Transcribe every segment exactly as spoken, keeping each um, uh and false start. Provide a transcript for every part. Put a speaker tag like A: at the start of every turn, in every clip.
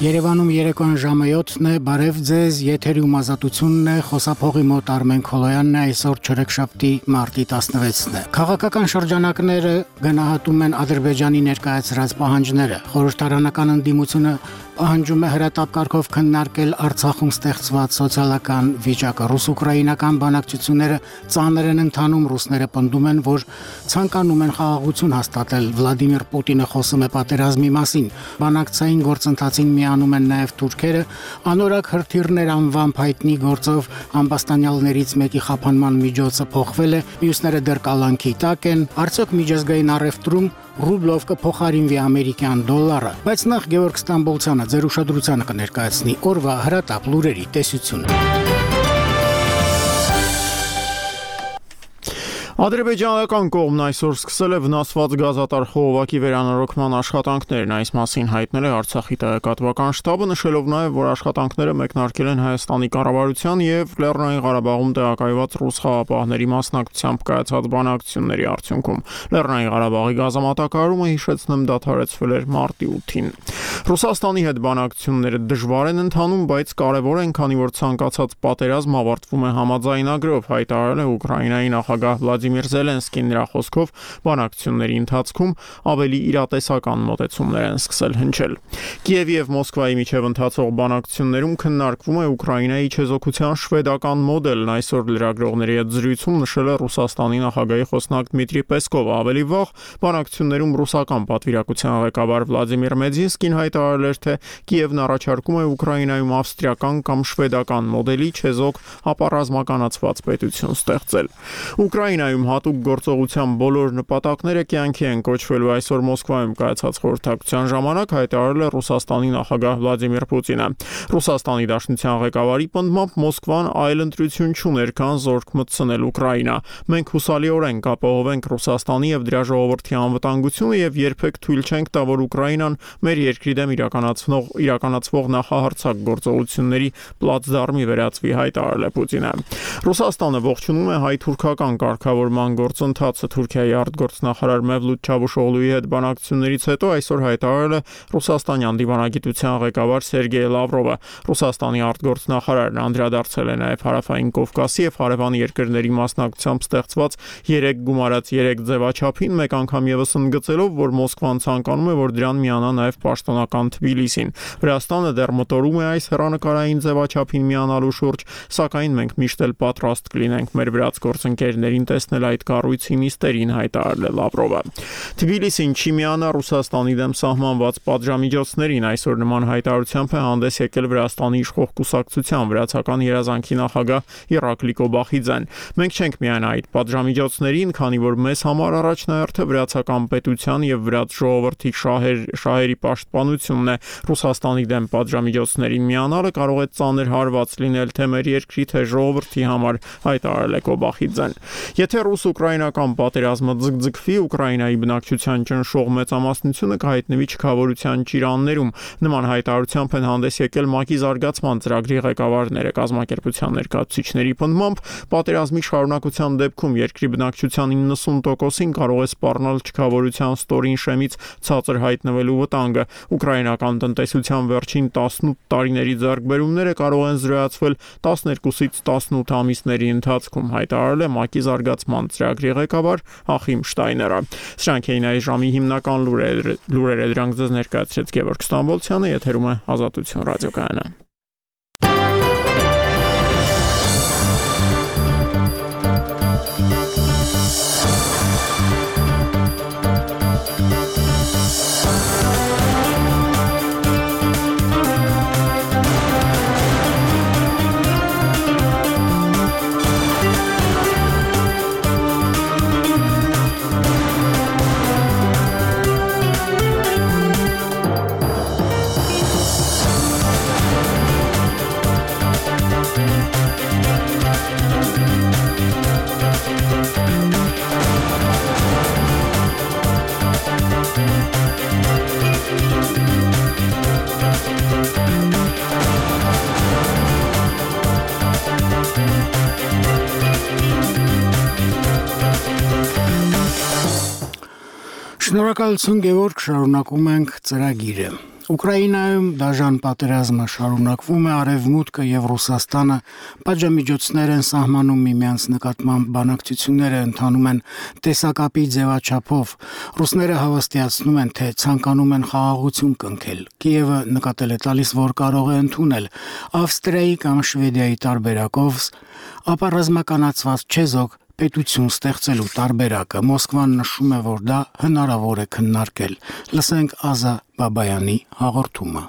A: Երևանում երեկոյան ժամը յոթն է, բարև ձեզ, եթերում ազատությունն է, խոսափողի մոտ Արմեն Քոլոյանն է, այսօր չորեքշաբթի մարտի տասնվեցն է։ Քաղաքական շրջանակները գնահատում են Ադրբեջանի ներկայացրած պահանջները, խորհրդարանական ընդդիմությունը պահանջում է հրատապ կարգով քննարկել Արցախում ստեղծված սոցիալական վիճակը, ռուս-ուկրաինական բանակցությունները ծանր են ընթանում, ռուսները պնդում են, որ ցանկանում են խաղաղություն հաստատել, Վլադիմիր Պուտինը խոսում է պատերազմի մասին, բանակցային գործընթացին միանում են նաև թուրքերը, անորակ հրթիռներ անվամբ հայտնի գործով ամբաստանյալներից մեկի խափանման միջոցը փոխվել է, մյուսները դեռ կալանքի տակ են, արդյոք միջազգային առևտրում ռուբլով կփոխարինվի ամերիկյան դոլարը, բայց նախ Գևորգ Ստամբոլցյանը ձեր ուշադրությանը կներկայացնի օրվա հրատապ լուրերի տեսությունը։
B: Ադրբեջանական կողմն այսօր սկսել է վնասված գազատար խողովակի վերանորոգման աշխատանքներն, այս մասին հայտնել է Արցախի տեղեկատվական շտաբը, նշելով նաև, որ աշխատանքները մեկնարկել են Հայաստանի կառավարության եւ Լեռնային Ղարաբաղում տեղակայված ռուս խաղապահների մասնակցությամբ կայացած բանակցությունների արդյունքում։ Լեռնային Ղարաբաղի գազամատակարարումը, հիշեցնեմ, դադարեցվել էր մարտի ութին։ Ռուսաստանի հետ բանակցությունները դժվար են ընթանում, բայց կարևոր են, քանի որ ցանկացած պատերազմ ավարտվում է համաձայնագրով, հայտարարել է Ուկրաինայի նախագահ Վլադիմիր Զելենսկին, նրա խոսքով բանակցությունների ընթացքում ավելի իրատեսական մոտեցումներ են սկսել հնչել։ Կիևի եւ Մոսկվայի միջև ընթացող բանակցություններում քննարկվում է Ուկրաինայի չեզոքության շվեդական մոդելն, այսօր լրագրողների հետ զրույցում նշել է Ռուսաստանի նախագահի խոսնակ Դմիտրի Պեսկովը, ավելի վաղ բանակցություններում ռուսական պատվիրակության ղեկավար Վլադիմիր Մեդինսկին հայտարարել էր, թե Կիևն առաջարկում է Ուկրաինայում ավստրիական կամ շվեդական մոդելի չեզոք ապառազմականացված պետություն ստեղծել։ Ուկրաինայում հատուկ գործողության բոլոր նպատակները կյանքի են կոչվելու, այսօր Մոսկվայում կայացած խորհրդակցության ժամանակ հայտարարել է Ռուսաստանի նախագահ Վլադիմիր Պուտինը։ Ռուսաստանի Դաշնության ղեկավարի պնդմամբ Մոսկվան այլ ընտրություն չուներ, քան զորք մտցնել Ուկրաինա։ Մենք հուսալիորեն կապահովենք Ռուսաստանի եւ դրա ժողովրդի անվտանգությունը եւ երբեք թույլ չենք տա, որ Ուկրաինան մեր երկրի դեմ իրականացվող իրականացվող նախահարձակ գործողությունների պլացդարմի վերածվի, հայտարարել է Պուտինը։ Ռուսաստանը ողջունում է հայ-թուրքական կարգավորման գործընթացը, Թուրքիայի արտգործնախարար Մևլութ Չավուշօղլուի հետ բանակցություններից հետո այսօր հայտարարել է Ռուսաստանյան դիվանագիտության ղեկավար Սերգեյ Լավրովը։ Ռուսաստանի արտգործնախարարն անդրադարձել է նաև Հարավային Կովկասի եւ հարևան երկրների մասնակցությամբ ստեղծված երեք գումարած երեք ձևաչափին, մեկ անգամ եւս ընդգծելով, որ Մոսկվան ցանկանում է, որ դրան միանա նաև պաշտոնական Թբիլիսին։ Վրաստանը դեռ մտորում է այս հեռանկարային ձևաչափին միանալու շուրջ, սակայն մենք միշտ էլ պատրաստ կլինենք մեր վրաց գործընկերներին տեսնել այդ կառույցի նիստերին, հայտարարել է Լավրովը։ Թբիլիսին չի միանա Ռուսաստանի դեմ սահմանված պատժամիջոցներին, այսօր նման հայտարարությամբ է հանդես եկել Վրաստանի իշխող կուսակցության վրացական երազանքի նախագահ Իրակլի Կոբախիձեն։ Մենք չենք միանա այդ պատժամիջոցներին, քանի որ մեզ համար առաջնահերթը վրացական պետության եւ վրաց ժողովրդի շահեր, շահերի պաշտպանությունն է։ Ռուսաստանի դեմ պատժամիջոցներին միանալը կարող է ծանր հարված լինել թե մեր երկրի, թե ժողովրդի համար, հայտարարել է Կոբախիձեն։ Եթե ռուս-ուկրաինական պատերազմը ձգձգվի, Ուկրաինայի բնակչության ճնշող մեծամասնությունը կհայտնվի չքավորության ճիրաններում։ Նման հայտարարությամբ են հանդես եկել ՄԱԿ-ի զարգացման ծրագրի ղեկավարները, կազմակերպության ներկայացուցիչների պնդմամբ պատերազմի շարունակության դեպքում երկրի բնակչության իննսուն տոկոսին կարող է սպառնալ չքավորության ստորին շեմից ցածր հայտնվելու վտանգը։ Ուկրաինական տնտեսության վերջին տասնութ տարիների ձեռքբերումները կարող են զրոյացվել տասներկուսից տասնութ ամիսների ընթացքում, հայտարարել է ՄԱԿ-ի զարգացման ծրագրի ղեկավար Ախիմ Շտայները։ Սրանք էին այս ժամի հիմնական լուրերը, լուրերը դրանք ձեզ ներկայացրեց Գևորգ Ստամբոլցյանը, եթերում է Ազատություն ռադիոկայանը։
A: Շնորհակալություն Գևորգ, շարունակում ենք ծրագիրը։ Ուկրաինայում դաժան պատերազմը շարունակվում է, Արևմուտքը եւ Ռուսաստանը պատժամիջոցներ են սահմանում միմյանց նկատմամբ, բանակցությունները ընթանում են տեսակապի ձևաչափով։ Ռուսները հավաստիացնում են, թե ցանկանում են խաղաղություն կնքել։ Կիևը նկատել է տալիս, որ կարող է ընդունել Ավստրիայի կամ Շվեդիայի տարբերակով, ապա ռազմականացված չեզոք պետություն ստեղծելու տարբերակը Մոսկվան նշում է, որ դա հնարավոր է քննարկել։ Լսենք Ազա Բաբայանի հաղորդումը։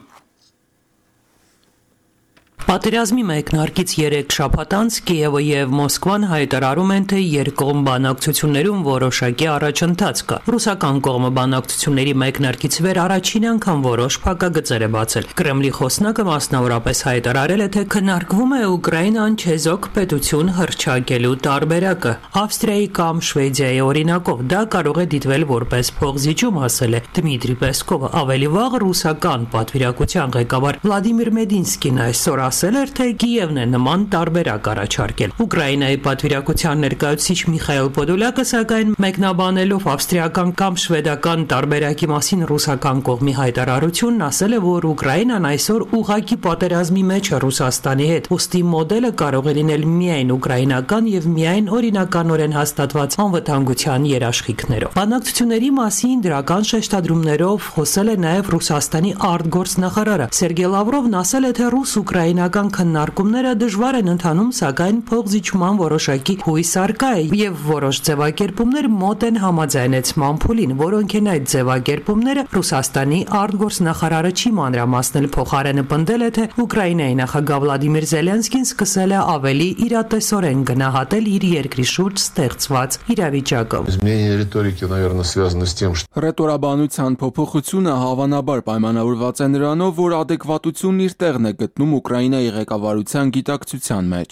C: Պատերազմի մեկնարկից երեք շաբաթ անց Կիևը եւ Մոսկվան հայտարարում են, թե երկկողմ բանակցություններում որոշակի առաջընթաց կա։ Ռուսական կողմը բանակցությունների մեկնարկից վեր առաջին անգամ որոշ փակագծեր է բացել։ Կրեմլի խոսնակը մասնավորապես հայտարարել է, թե քննարկվում է Ուկրաինան չեզոք պետություն հռչակելու տարբերակը Ավստրիայի կամ Շվեդիայի օրինակով։ Դա կարող է դիտվել որպես փողզիջում, ասել է Դմիտրի Պեսկովը։ Ավելի վաղ ռուսական պատվիրակության ղեկավար Վլադիմիր Մեդինսկին այսօր ասել էր, թե Կիևն է նման տարբերակ առաջարկել։ Ուկրաինայի պատվիրակության ներկայացուցիչ Միխայել Պոդոլյակը սակայն մեկնաբանելով ավստրիական կամ շվեդական տարբերակի մասին ռուսական կողմի հայտարարությունն ասել է, որ Ուկրաինան այսօր ուղղակի պատերազմի մեջ է Ռուսաստանի հետ, ուստի մոդելը կարող է լինել միայն ուկրաինական եւ միայն օրինականորեն հաստատված անվտանգության երաշխիքներով։ Բանակցությունների մասին դրական շեշտադրումներով խոսել է նաեւ Ռուսաստանի արտգործնախարարը Սերգեյ Լավրովն ասել է, թե ռուս-ուկրաինական քննարկումները դժվար են ընթանում, սակայն փոխզիջման որոշակի հույս առկա է եւ որոշ ձևակերպումներ մոտ են համաձայնեցման փուլին, որոնք են այդ ձևակերպումները Ռուսաստանի արտգործնախարարը չի մանրամասնել, փոխարենը պնդել է, թե Ուկրաինայի նախագահ Վլադիմիր Զելենսկին սկսել է ավելի իրատեսորեն գնահատել իր երկրի շուրջ ստեղծված իրավիճակը։
D: Ռետորաբանության փոփոխությունը հավանաբար պայմանավորված է նրանով, որ adekvatությունն իր տեղն է գտնում Ուկրաինայի ղեկավարության գիտակցության մեջ։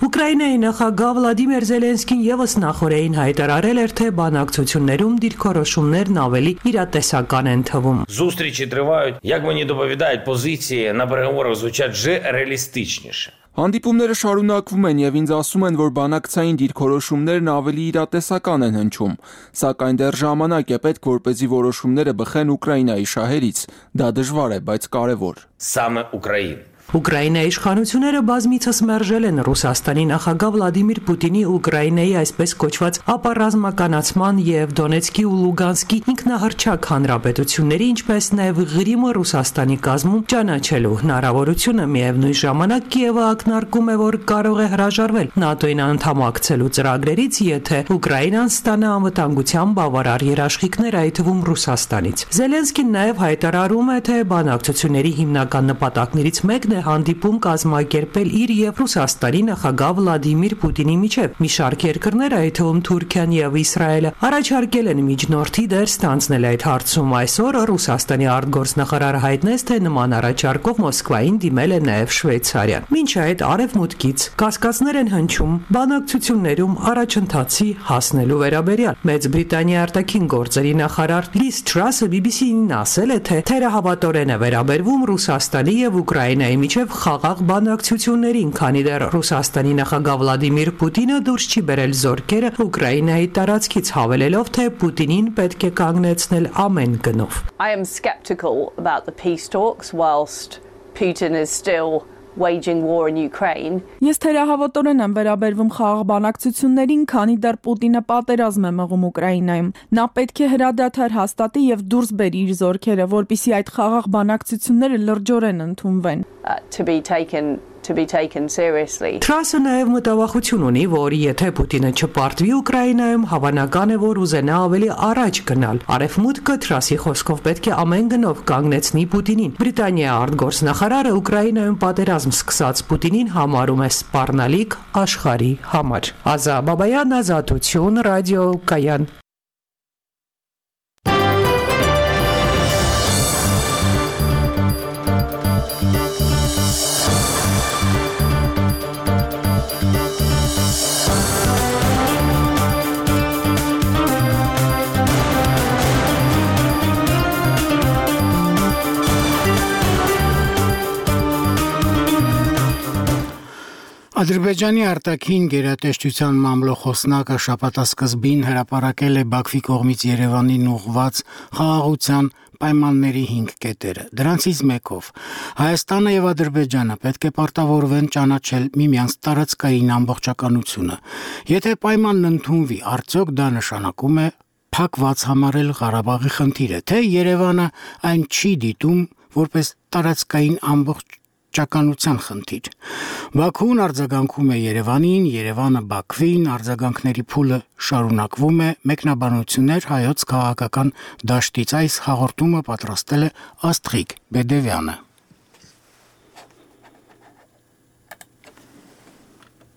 C: Ուկրաինայի նախագահ Վլադիմիր Զելենսկին եւս նախորդին հայտարարել էր, թե բանակցություններում դիրքորոշումներն ավելի իրատեսական են թվում։
E: Зустрічі тривають, як мені доповідають, позиції на переговорах звучать вже реалістичніше.
D: Հանդիպումները շարունակվում են եւ ինձ ասում են, որ բանակցային դիրքորոշումներն ավելի իրատեսական են հնչում, սակայն դեռ ժամանակ է պետք, որպեսզի որոշումները բխեն Ուկրաինայի շահերից։ Դա դժվար է, բայց կարևոր։
E: Саме Україна.
C: Ուկրաինայի իշխանությունները բազմիցս մերժել են Ռուսաստանի նախագահ Վլադիմիր Պուտինի Ուկրաինայի այսպես կոչված ապառազմականացման եւ Դոնեցկի ու Լուգանսկի ինքնահռչակ հանրապետությունների, ինչպես նաեւ Ղրիմը Ռուսաստանի կազմում ճանաչելու հնարավորությունը։ Միևնույն ժամանակ Կիևը ակնարկում է, որ կարող է հրաժարվել ՆԱՏՕ-ին անդամակցելու ծրագրերից, եթե Ուկրաինան ստանա անվտանգության բավարար երաշխիքներ, այդ թվում Ռուսաստանից։ Զելենսկին նաեւ հայտարարում է, թե բանակցությունների հիմնական նպատակներից մեկն հանդիպում կազմակերպել իր եւ Ռուսաստանի նախագահ Վլադիմիր Պուտինի միջև։ Մի շարք երկրներ, այդ թվում Թուրքիան եւ Իսրայելը, առաջարկել են միջնորդի դեր ստանձնել այդ հարցում։ Այսօր Ռուսաստանի արտգործնախարարը հայտնեց, թե նման առաջարկով Մոսկվային դիմել է նաեւ Շվեյցարիան։ Մինչ այդ արևմուտքից կասկածներ են հնչում բանակցություններում առաջընթացի հասնելու վերաբերյալ։ Մեծ Բրիտանիայի արտաքին գործերի նախարար Լիզ Թրասը բի բի սի-ին ասել է, թե թերահավատորեն է վերաբերվում Ռուսաստանի եւ Ուկրաինայի միջև խաղաղ բանակցություններին, քանի դեռ Ռուսաստանի նախագահ Վլադիմիր Պուտինը դուրս չի բերել զորքերը Ուկրաինայի տարածքից, հավելելով, թե Պուտինին պետք է կանգնեցնել ամեն գնով։
F: I am skeptical about the peace talks whilst Putin is still waging war in Ukraine.
G: Ես թերահավատորեն եմ վերաբերվում խաղաղ բանակցություններին, քանի դեռ Պուտինը պատերազմ է մղում Ուկրաինայում։ Նա պետք է հրադադար հաստատի եւ դուրս բերի իր զորքերը, որպեսզի այդ խաղաղ բանակցությունները լրջորեն ընդունվեն։
F: Uh, to be taken to be taken seriously.
C: Թրասը նաև մտավախություն ունի, որ եթե Պուտինը չպարտվի Ուկրաինայում, հավանական է, որ ուզենա ավելի առաջ գնալ։ Արևմուտքը Թրասի խոսքով պետք է ամեն գնով կանգնեցնի Պուտինին։ Բրիտանիայի արտգործնախարարը Ուկրաինայում պատերազմ սկսած Պուտինին համարում է սպառնալիք աշխարհի համար։ Ազա Բաբայան, Ազատություն, ռադիո Կայան։
A: Ադրբեջանի արտաքին գերատեսչության մամլոխոսնակը շաբաթասկզբին հրապարակել է Բաքվի կողմից Երևանին ուղղված խաղաղության, պայմանների հինգ կետերը։ Դրանցից մեկով Հայաստանը եւ Ադրբեջանը պետք է պարտավորվեն ճանաչել միմյանց տարածքային ամբողջականությունը։ Եթե պայմանն ընդունվի, արդյոք դա նշանակում է փակված համարել Ղարաբաղի խնդիրը, թե Երևանը այն չի դիտում որպես տարածքային ամբողջականության խնդիր։ Բաքուն արձագանքում է Երևանին, Երևանը Բաքվին, արձագանքների փուլը շարունակվում է, մեկնաբանություններ հայոց քաղաքական դաշտից։ Այս հաղորդումը պատրաստել է Աստղիկ Բեդևյանը։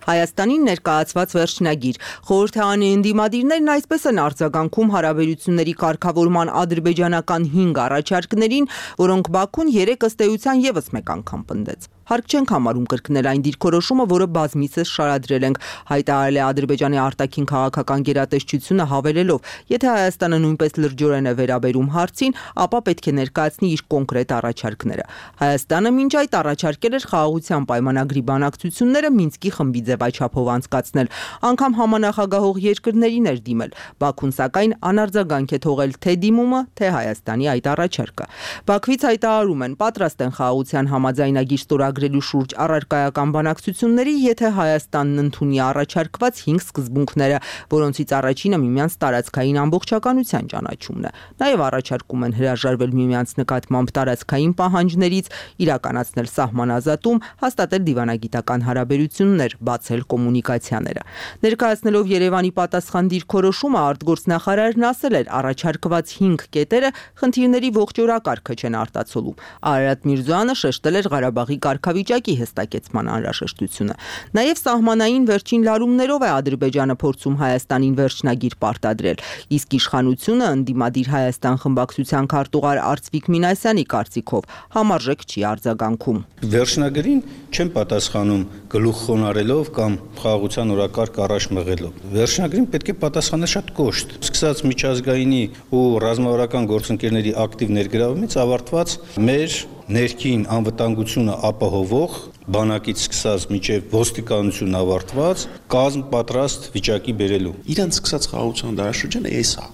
H: Հայաստանին ներկայացված վերջնագիր խորհրդարանի ընդդիմադիրներն այսպես են արձագանքում հարաբերությունների կարգավորման ադրբեջանական հինգ առաջարկներին, որոնք Բաքուն երեք ըստ էության եւս մեկ անգամ պնդեց։ Հարկ չենք համարում կրկնել այն դիրքորոշումը, որը բազմիցս շարադրել ենք, հայտարարել է Ադրբեջանի արտաքին քաղաքական գերատեսչությունը հավելելով, եթե Հայաստանը նույնպես լրջորեն է վերաբերում հարցին, ապա պետք է ներկայացնի իր կոնկրետ առաջարկները։ Հայաստանը մինչ այդ առաջարկել էր խաղաղության պայմանագրի բանակցությունները Մինսկի խմբի ձևաչափով անցկացնել, անգամ համանախագահող երկրներին էր դիմել։ Բաքուն սակայն անարձագանք է թողել թե դիմումը, թե Հայաստանի այդ առաջարկը։ Բաքվից հայտարարում են պատրաստ են խաղաղության համաձայնագիր ստորագրելու շուրջ առարկայական բանակցությունների, եթե Հայաստանն ընդունի առաջարկված հինգ սկզբունքները, որոնցից առաջինը միմյանց տարածքային ամբողջականության ճանաչումն է։ Նաև առաջարկում են հրաժարվել միմյանց նկատմամբ տարածքային պահանջներից, իրականացնել սահմանազատում, հաստատել դիվանագիտական հարաբերություններ, բացել կոմունիկացիաները։ Ներկայացնելով Երևանի պատասխան դիրքորոշումը, արտգործնախարարն ասել էր, առաջարկված հինգ կետերը խնդիրների ողջորակարգը չեն արտացոլում։ Արարատ Միրզոյանը շեշտել էր Ղարաբաղի կարգավիճակի հստակեցման անհրաժեշտությունը։ Նաև սահմանային վերջին լարումներով է Ադրբեջանը փորձում Հայաստանին վերջնագիր պարտադրել, իսկ իշխանությունը ընդդիմադիր Հայաստան խմբակցության քարտուղար Արծվիկ Մինասյանի կարծիքով համարժեք չի արձագանքում։
I: Վերջնագրին չեն պատասխանում գլուխ խոնարելով կամ խաղաղության օրակարգ առաջ մղելով։ Վերջնագրին պետք է պատասխանել շատ կոշտ։ Սկսած միջազգայինի ու ռազմավարական գործընկերների ակտիվ ներգրավումից ավարտված մեր ներքին անվտանգությունը ապահովող բանակից սկսած մինչև ոստիկանություն ավարտված կազմ պատրաստ վիճակի բերելու։
J: Իրանց սկսած խաղաղության դարաշրջանը էս է։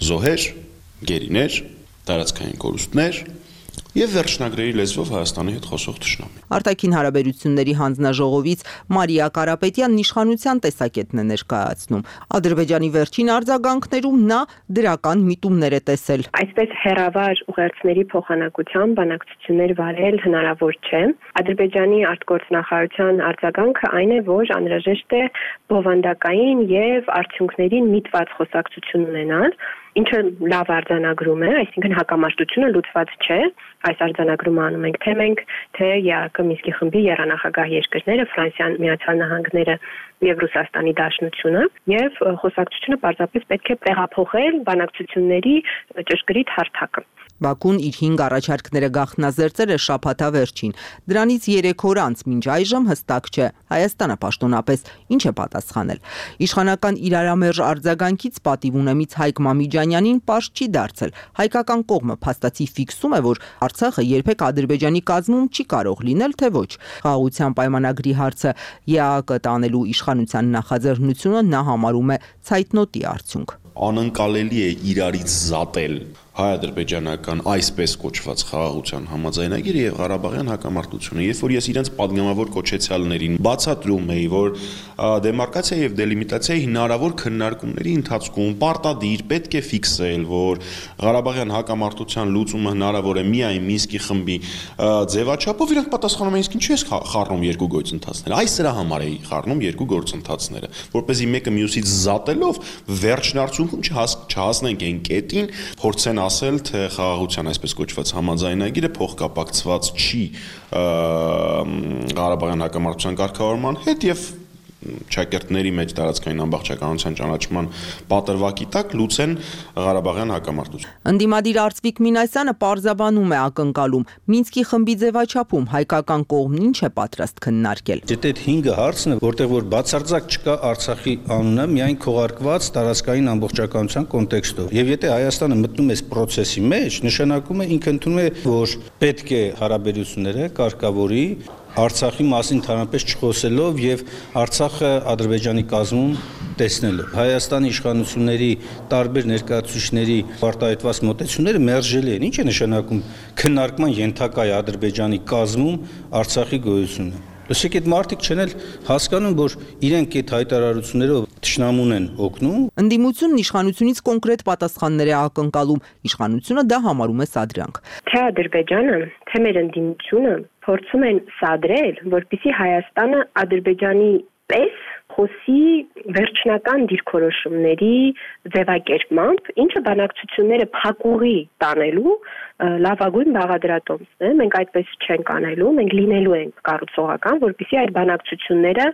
J: Զոհեր, գերիներ, տարածքային կորուստներ եւ վերջնագրերի լեզվով Հայաստանի հետ խոսող թշնամի։
H: Արտաքին հարաբերությունների հանձնաժողովից Մարիա Կարապետյանն իշխանության տեսակետն է ներկայացնում։ Ադրբեջանի վերջին արձագանքներում նա դրական միտումներ է տեսել։
K: Այսպես հերավար ուղերձների փոխանակությամբ բանակցություններ վարել հնարավոր չէ։ Ադրբեջանի արտգործնախարարության արձագանքը այն է, որ անհրաժեշտ է բովանդակային եւ արդյունքներին միտված խոսակցություն ունենալ, ինչը լավ արձանագրում է, այսինքն հակամարտությունը լուծված չէ։ Այս արձանագրումը անում ենք թե մենք, թե ԵԱԿ Մինսկի խմբի եռանախագահ երկրները, Ֆրանսիան, Միացյալ Նահանգները եւ Ռուսաստանի Դաշնությունը, եւ խոսակցությունը պարզապես պետք է տեղափոխել բանակցությունների ճշգրիտ հարթակը։
H: Բաքուն իր հինգ առաջարկները գաղտնազերծել է շաբաթա վերջին։ Դրանից երեք օր անց մինչ այժմ հստակ չէ Հայաստանը պաշտոնապես ինչ է պատասխանել։ Իշխանական իրարամերժ արձագանքից պատիվ ունեմից Հայկ Մամիջանյանին պարզ չի դարձել։ Հայկական կողմը փաստացի ֆիքսում է, որ Արցախը երբեք Ադրբեջանի կազմում չի կարող լինել, թե ոչ։ Խաղաղության պայմանագրի հարցը ԵԱԿ տանելու իշխանության նախաձեռնությունը նա համարում է ցայտնոտի արդյունք։
J: Անընկալելի է իրարից զատել հայ-ադրբեջանական այսպես կոչված խաղաղության համաձայնագիրը եւ Ղարաբաղյան հակամարտությունը, երբ որ ես իրենց падգամավոր կոչեցյալներին բացատրում էի, որ դեմարկացիա եւ դելիմիտացիայի հնարավոր քննարկումների ընթացքում պարտադիր պետք է ֆիքսել, որ Ղարաբաղյան հակամարտության լուծումը հնարավոր է միայն Մինսկի խմբի ձևաչափով, իրանք պատասխանում են, իսկ ինչու ես խառնում երկու գործընթացները։ Այս սրա համար էի խառնում երկու գործընթացները, որպեսզի մեկը մյուսից զատելով վերջնարդյունքում չհասնենք այն կետին, փորձեն ասել, թե խաղաղության այսպես կոչված համաձայնագիրը փոխկապակցված չի Ղարաբաղյան հակամարտության կարգավորման հետ եւ ճակերտների մեջ տարածքային ամբողջականության ճանաչման պատրվակի տակ լուծեն Ղարաբաղյան հակամարտությունը։
H: Ընդդիմադիր Արծվիկ Մինասյանը պարզաբանում է ակնկալում Մինսկի խմբի ձևաչափում հայկական կողմն ինչ է պատրաստ քննարկել։
I: Դե այդ հինգը հարցն է, որտեղ որ բացարձակ չկա Արցախի անունը, միայն քողարկված տարածքային ամբողջականության կոնտեքստով։ Եվ եթե Հայաստանը մտնում է այս process-ի մեջ, նշանակում է ինքը ընդունում է, որ պետք է հարաբերությունները կարգավորի Արցախի մասին ընդհանրապես չխոսելով եւ Արցախը Ադրբեջանի կազմում տեսնելով։ Հայաստանի իշխանությունների տարբեր ներկայացուցիչների արտահայտված մոտեցումները մերժելի են։ Ինչ է նշանակում քննարկման ենթակա է Ադրբեջանի կազմում Արցախի գոյությունը։ Ոսիկ այդ մարդիկ չեն էլ հասկանում, որ իրենք այդ հայտարարություններով թշնամուն են օգնում։
H: Ընդդիմությունն իշխանությունից կոնկրետ պատասխաններ է ակնկալում, իշխանությունը դա համարում է սադրանք։
K: Թե Ադրբեջանը, թե մեր ընդդիմությունը փորձում են սադրել, որպեսզի Հայաստանը Ադրբեջանի պես խոսի վերջնական դիրքորոշումների ձևակերպմամբ, ինչը բանակցությունները փակուղի տանելու լավագույն բաղադրատոմսն է։ Մենք այդպես չենք անելու, մենք լինելու ենք կառուցողական, որպեսզի այդ բանակցությունները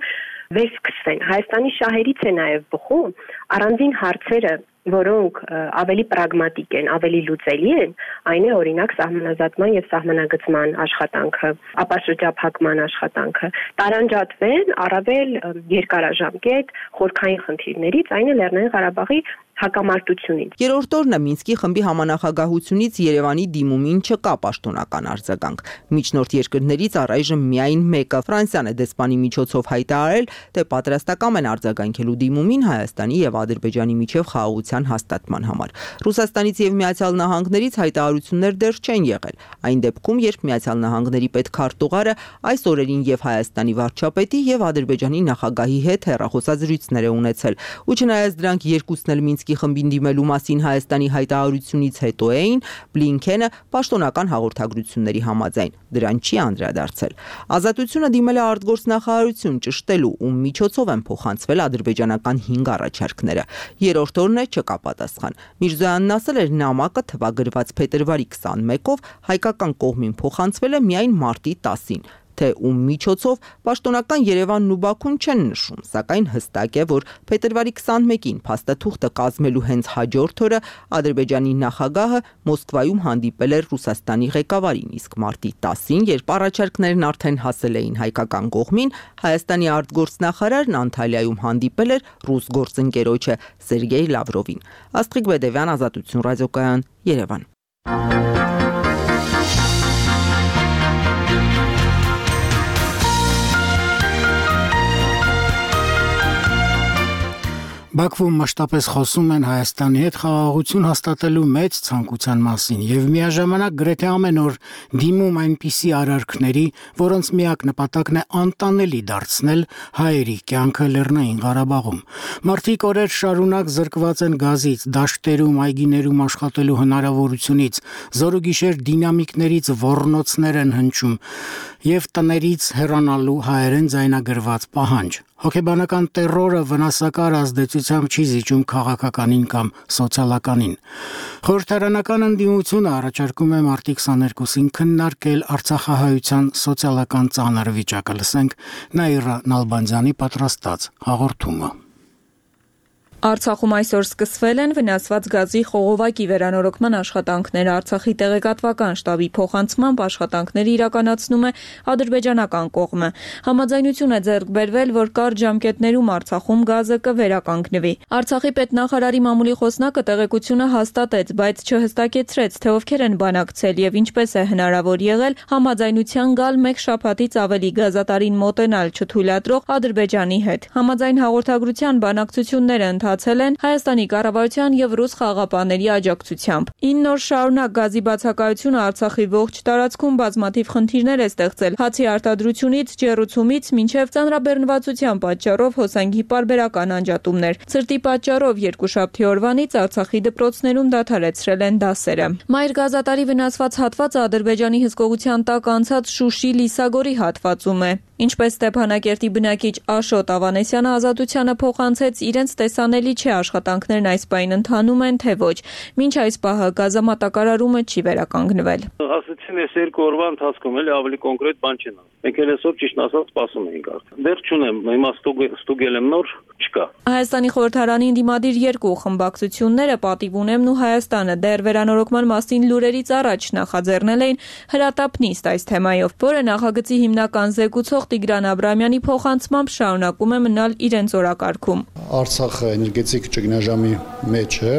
K: վերսկսվեն։ Հայաստանի շահերից է նաև բխում առանձին հարցերը, որոնք ավելի պրագմատիկ են, ավելի լուծելի են, այն է օրինակ սահմանազատման եւ սահմանագծման աշխատանքը, ապաշրջափակման աշխատանքը, տարանջատվեն առավել երկարաժամկետ խորքային խնդիրներից, այն է Լեռնային Ղարաբաղի հակամարտությունից։
H: Երրորդ օրն է Մինսկի խմբի համանախագահությունից Երևանի դիմումին չկա պաշտոնական արձագանք։ Միջնորդ երկրներից առայժմ միայն մեկը Ֆրանսիան է դեսպանի միջոցով հայտարարել, թե պատրաստական են արձագանքելու դիմումին Հայաստանի եւ Ադրբեջանի միջև խաղաղության հաստատման համար։ Ռուսաստանից եւ Միացյալ Նահանգներից հայտարարություններ դեռ չեն եղել։ Այն դեպքում, երբ Միացյալ Նահանգների պետքարտուղարը այս օրերին եւ Հայաստանի վարչապետի եւ Ադրբեջանի նախագահի հետ հեռախոսազրույցներ է ունեցել, ու չնայած դրանք երկուսն էլ Մինսկի խմբին դիմելու մասին Հայաստանի հայտարարությունից հետո էին, Բլինքենը պաշտոնական հաղորդագրությունների համաձայն դրան չի անդրադարձել։ Ազատությունը դիմել է արտգործնախարարություն ճշտելու, ում միջոցով են փոխանցվել ադրբեջանական հինգ առաջարկները։ Երրորդ օրն է չկա պատասխան։ Միրզոյանն ասել էր, նամակը թվագրված փետրվարի քսանմեկով հայկական կողմին փոխանցվել է միայն մարտի տասին։ Թե ում միջոցով պաշտոնական Երևանն ու Բաքուն չեն նշում, սակայն հստակ է, որ փետրվարի քսանմեկին փաստաթուղթը կազմելու հենց հաջորդ օրը Ադրբեջանի նախագահը Մոսկվայում հանդիպել էր Ռուսաստանի ղեկավարին, իսկ մարտի տասին, երբ առաջարկներն արդեն հասել էին հայկական կողմին, Հայաստանի արտգործնախարարն Անտալիայում հանդիպել էր ռուս գործընկերոջը Սերգեյ Լավրովին։ Աստղիկ Բեդևյան, Ազատություն ռադիոկայան, Երևան։
A: Բաքվում մշտապես խոսում են Հայաստանի հետ խաղաղություն հաստատելու մեծ ցանկության մասին եւ միաժամանակ գրեթե ամեն օր դիմում այնպիսի արարքների, որոնց միակ նպատակն է անտանելի դարձնել հայերի կյանքը Լեռնային Ղարաբաղում։ Մարդիկ օրեր շարունակ զրկված են գազից, դաշտերում, այգիներում աշխատելու հնարավորությունից, զորուգիշեր դինամիկներից ոռնոցներ են հնչում եւ տներից հեռանալու հայերեն ձայնագրված պահանջ։ Հոգեբանական տերորը վնասակար ազդեցությամբ չի զիջում քաղաքականին կամ սոցիալականին։ Խորհրդարանական ընդդիմությունը առաջարկում է մարտի քսաներկուսին քննարկել Արցախահայության սոցիալական ծանր վիճակը։ Լսենք Նաիրա Նալբանդյանի պատրաստած հաղորդումը։
G: Արցախում այսօր սկսվել են վնասված գազի խողովակի վերանորոգման աշխատանքները։ Արցախի տեղեկատվական շտաբի փոխանցմամբ աշխատանքները իրականացնում է ադրբեջանական կողմը։ Համաձայնություն է ձեռք բերվել, որ կարճ ժամկետներում Արցախում գազը կվերականգնվի։ Արցախի պետնախարարի մամուլի խոսնակը տեղեկությունը հաստատեց, բայց չհստակեցրեց, թե ովքեր են բանակցել եւ ինչպես է հնարավոր եղել համաձայնության գալ մեկ շաբաթից ավելի գազատարին մոտենալ չթույլատրող Ադրբեջանի հետ։ Համաձայն հաղորդագրության բանակցությունները ընթացել են Հայաստանի կառավարության եւ ռուս խաղաղապահների աջակցությամբ։ ինը օր շարունակ գազի բացակայությունը Արցախի ողջ տարածքում բազմաթիվ խնդիրներ է ստեղծել, հացի արտադրությունից, ջեռուցումից մինչև ծանրաբեռնվածության պատճառով հոսանքի պարբերական անջատումներ։ Ցրտի պատճառով երկուշաբթի օրվանից Արցախի դպրոցներում դադարեցրել են դասերը։ Մայր գազատարի վնասված հատվածը Ադրբեջանի հսկողության տակ անցած Շուշի-Լիսագորի հատվածում է։ Ինչպես Ստեփանակերտի բնակիչ Աշոտ Ավանեսյանը Ազատությանը փոխանցեց, իրենց տեսանելի չէ աշխատանքներն այս պահին ընթանում են, թե ոչ։ Մինչ այս պահը գազամատակարարումը չի վերականգնվել։
L: Ասացին, ես երկու օրվա ընթացքում էլի ավելի կոնկրետ բան չեն։ Մենք էլ այսօր ճիշտ ասած սպասում էինք արդեն։ Դեռ չունեմ, հիմա ստուգել եմ նոր, չկա։
G: Հայաստանի խորհրդարանի ընդդիմադիր երկու խմբակցությունները Պատիվ ունեմն ու Հայաստանը դեռ վերանորոգման մասին լուրերից առաջ նախաձեռնել էին հրատապ նիստ այս թեմայով, որը նախագծի հիմնական զեկուցող Տիգրան Աբրամյանի փոխանցմամբ շարունակում է մնալ իրենց օրակարգում։
M: Արցախը էներգետիկ ճգնաժամի մեջ է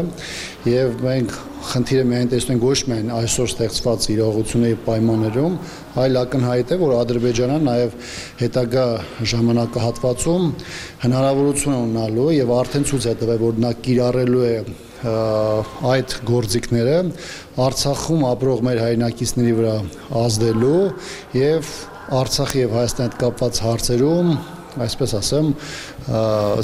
M: եւ մենք խնդիրը միայն տեսնենք ոչ միայն այսօր ստեղծված իրողությունների պայմաններում, այլ ակնհայտ է, որ Ադրբեջանը նաև հետագա ժամանակահատվածում հնարավորություն ունենալու եւ արդեն ցույց է տվել, որ նա կիրառելու է այդ գործիքները Արցախում ապրող մեր հայրենակիցների վրա ազդելու եւ Արցախի եւ Հայաստանի հետ կապված հարցերում, այսպես ասեմ,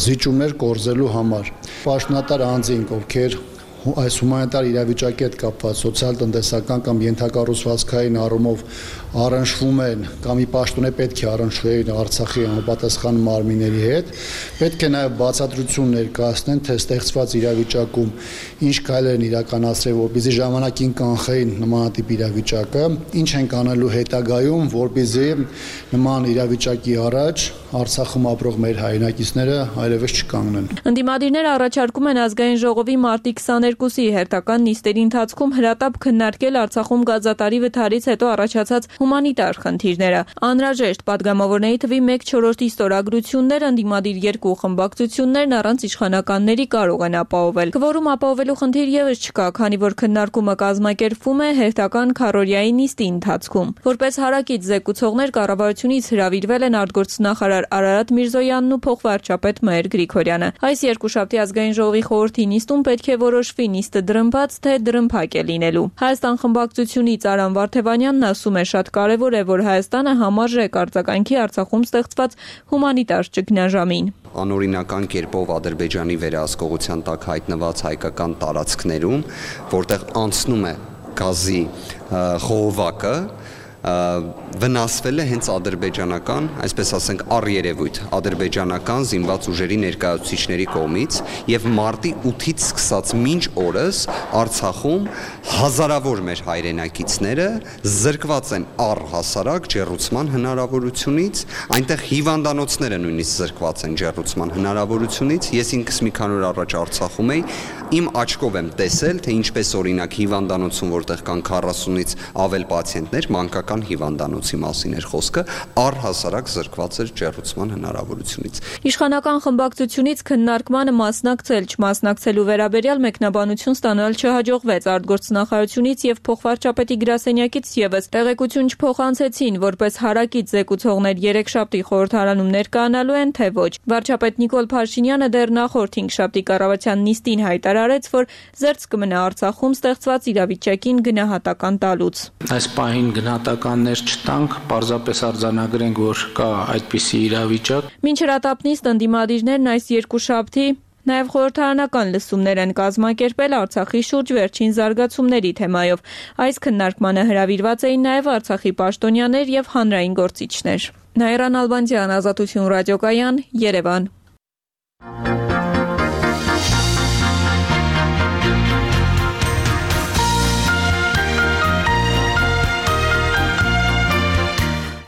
M: զիջումներ կորզելու համար։ Պաշտոնատար անձինք, ովքեր այս հումանիտար իրավիճակի հետ կապված սոցիալ-տնտեսական կամ ենթակառուցվածքային առումով առնչվում են կամ ի պաշտոնե պետք է առնչվեն Արցախի համապատասխան մարմինների հետ, պետք է նաև բացատրություն ներկայացնեն, թե ստեղծված իրավիճակում ինչ քայլեր են իրականացրել, որպեսզի ժամանակին կանխեին նմանատիպ իրավիճակը, ինչ են կանելու հետագայում, որպեսզի նման իրավիճակի առաջ Արցախում ապրող մեր հայրենակիցները այլևս չկանգնեն։
G: Ընդդիմադիրները առաջարկում են ազգային ժողովի մարտի քսաներկուսի հերթական նիստերի ընթացքում հրատապ քննարկել Արցախում գազատարի վթարից հետո առաջացած հումանիտար խնդիրները։ Անհրաժեշտ падգամավորների թվի մեկ չորրորդի ստորագրություններ ընդդիմադիր երկու խմբակցություններն առանց իշխանականների կարող են ապահովել։ Քվորում ապահովելու խնդիր եւս չկա, քանի որ քննարկումը կազմակերպվում է հերթական քառօրյայի նիստի ընթացքում։ Որպես հարակից զեկուցողներ կառավարությունից հրավիրվել են արտգործնախարար Արարատ Միրզոյանն ու փոխվարչապետ Մհեր Գրիգորյանը։ Այս երկուշաբթի ազգային ժողովի խորհրդի նիստում պետք է որոշվի նիստը դրմբաց թե դրմփակ է լինելու։ Հայաստան խմբակցությունից Արամ Վարդևանյանն ասում է, շատ կարևոր է, որ Հայաստանը համարժեք արձագանքի Արցախում ստեղծված հումանիտար ճգնաժամին։
N: Անօրինական կերպով Ադրբեջանի վերահսկողության տակ հայտնված հայկական տարածքներում, որտեղ անցնում է գազի խողովակը, վնասվել է հենց ադրբեջանական, այսպես ասենք, առերևույթ ադրբեջանական զինված ուժերի ներկայացուցիչների կողմից եւ մարտի ութից սկսած մինչ օրս Արցախում հազարավոր մեր հայրենակիցները զրկված են առհասարակ ջեռուցման հնարավորությունից, այնտեղ հիվանդանոցները նույնիսկ զրկված են ջեռուցման հնարավորությունից։ Ես ինքս մի քանի օր առաջ Արցախում էի, իմ աչքով եմ տեսել, թե ինչպես օրինակ հիվանդանոցում, որտեղ կան քառասունից ավել պացիենտներ, մանկական հիվանդանոցի մասին էր խոսքը, առհասարակ զրկված էր ջեռուցման հնարավորությունից։
G: Իշխանական խմբակցությունից քննարկմանը մասնակցել, չմասնակցելու վերաբերյալ մեկնաբանություն ստանալ չհաջողվեց արտգործնախարարությունից եւ փոխվարչապետի գրասենյակից եւս տեղեկություն չփոխանցեցին, որպես հարակից զեկուցողներ երեքշաբթի խորհրդարանում ներկայանալու են, թե ոչ։ Վարչապետ Նիկոլ Փաշինյանը դեռ նախորդ հինգշաբթի կառավարության նիստին հայտարարեց, որ զերծ կմնա Արցախում ստեղծված իրավիճակին գնահատական տալուց։
O: Այս պահին գնահատականներ չտանք, պարզապես արձանագրենք, որ կա այդպիսի իրավիճակ։
G: Մինչ հրատապ նիստ ընդդիմադիրներն այս երկուշաբթի նաև խորհրդարանական լսումներ են կազմակերպել Արցախի շուրջ վերջին զարգացումների թեմայով։ Այս քննարկմանը հրավիրված էին նաև Արցախի պաշտոնյաներ եւ հանրային գործիչներ։ Նաիրա Նալբանդյան, Ազատություն ռադիոկայան, Երևան։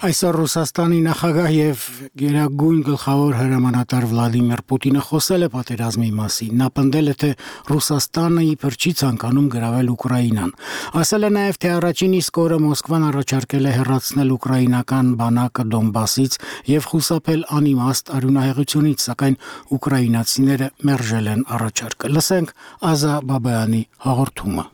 A: Այսօր Ռուսաստանի նախագահ եւ գերագույն գլխավոր հրամանատար Վլադիմիր Պուտինը խոսել է պատերազմի մասին։ Նա պնդել է, թե Ռուսաստանը իբր չի ցանկանում գրավել Ուկրաինան։ Ասել է նաեւ, թե առաջին իսկ օրը Մոսկվան առաջարկել է հեռացնել ուկրաինական բանակը Դոնբասից եւ խուսափել անիմաստ արյունահեղությունից, սակայն ուկրաինացիները մերժել են առաջարկը։ Լսենք Ազա Բաբայանի հաղորդումը։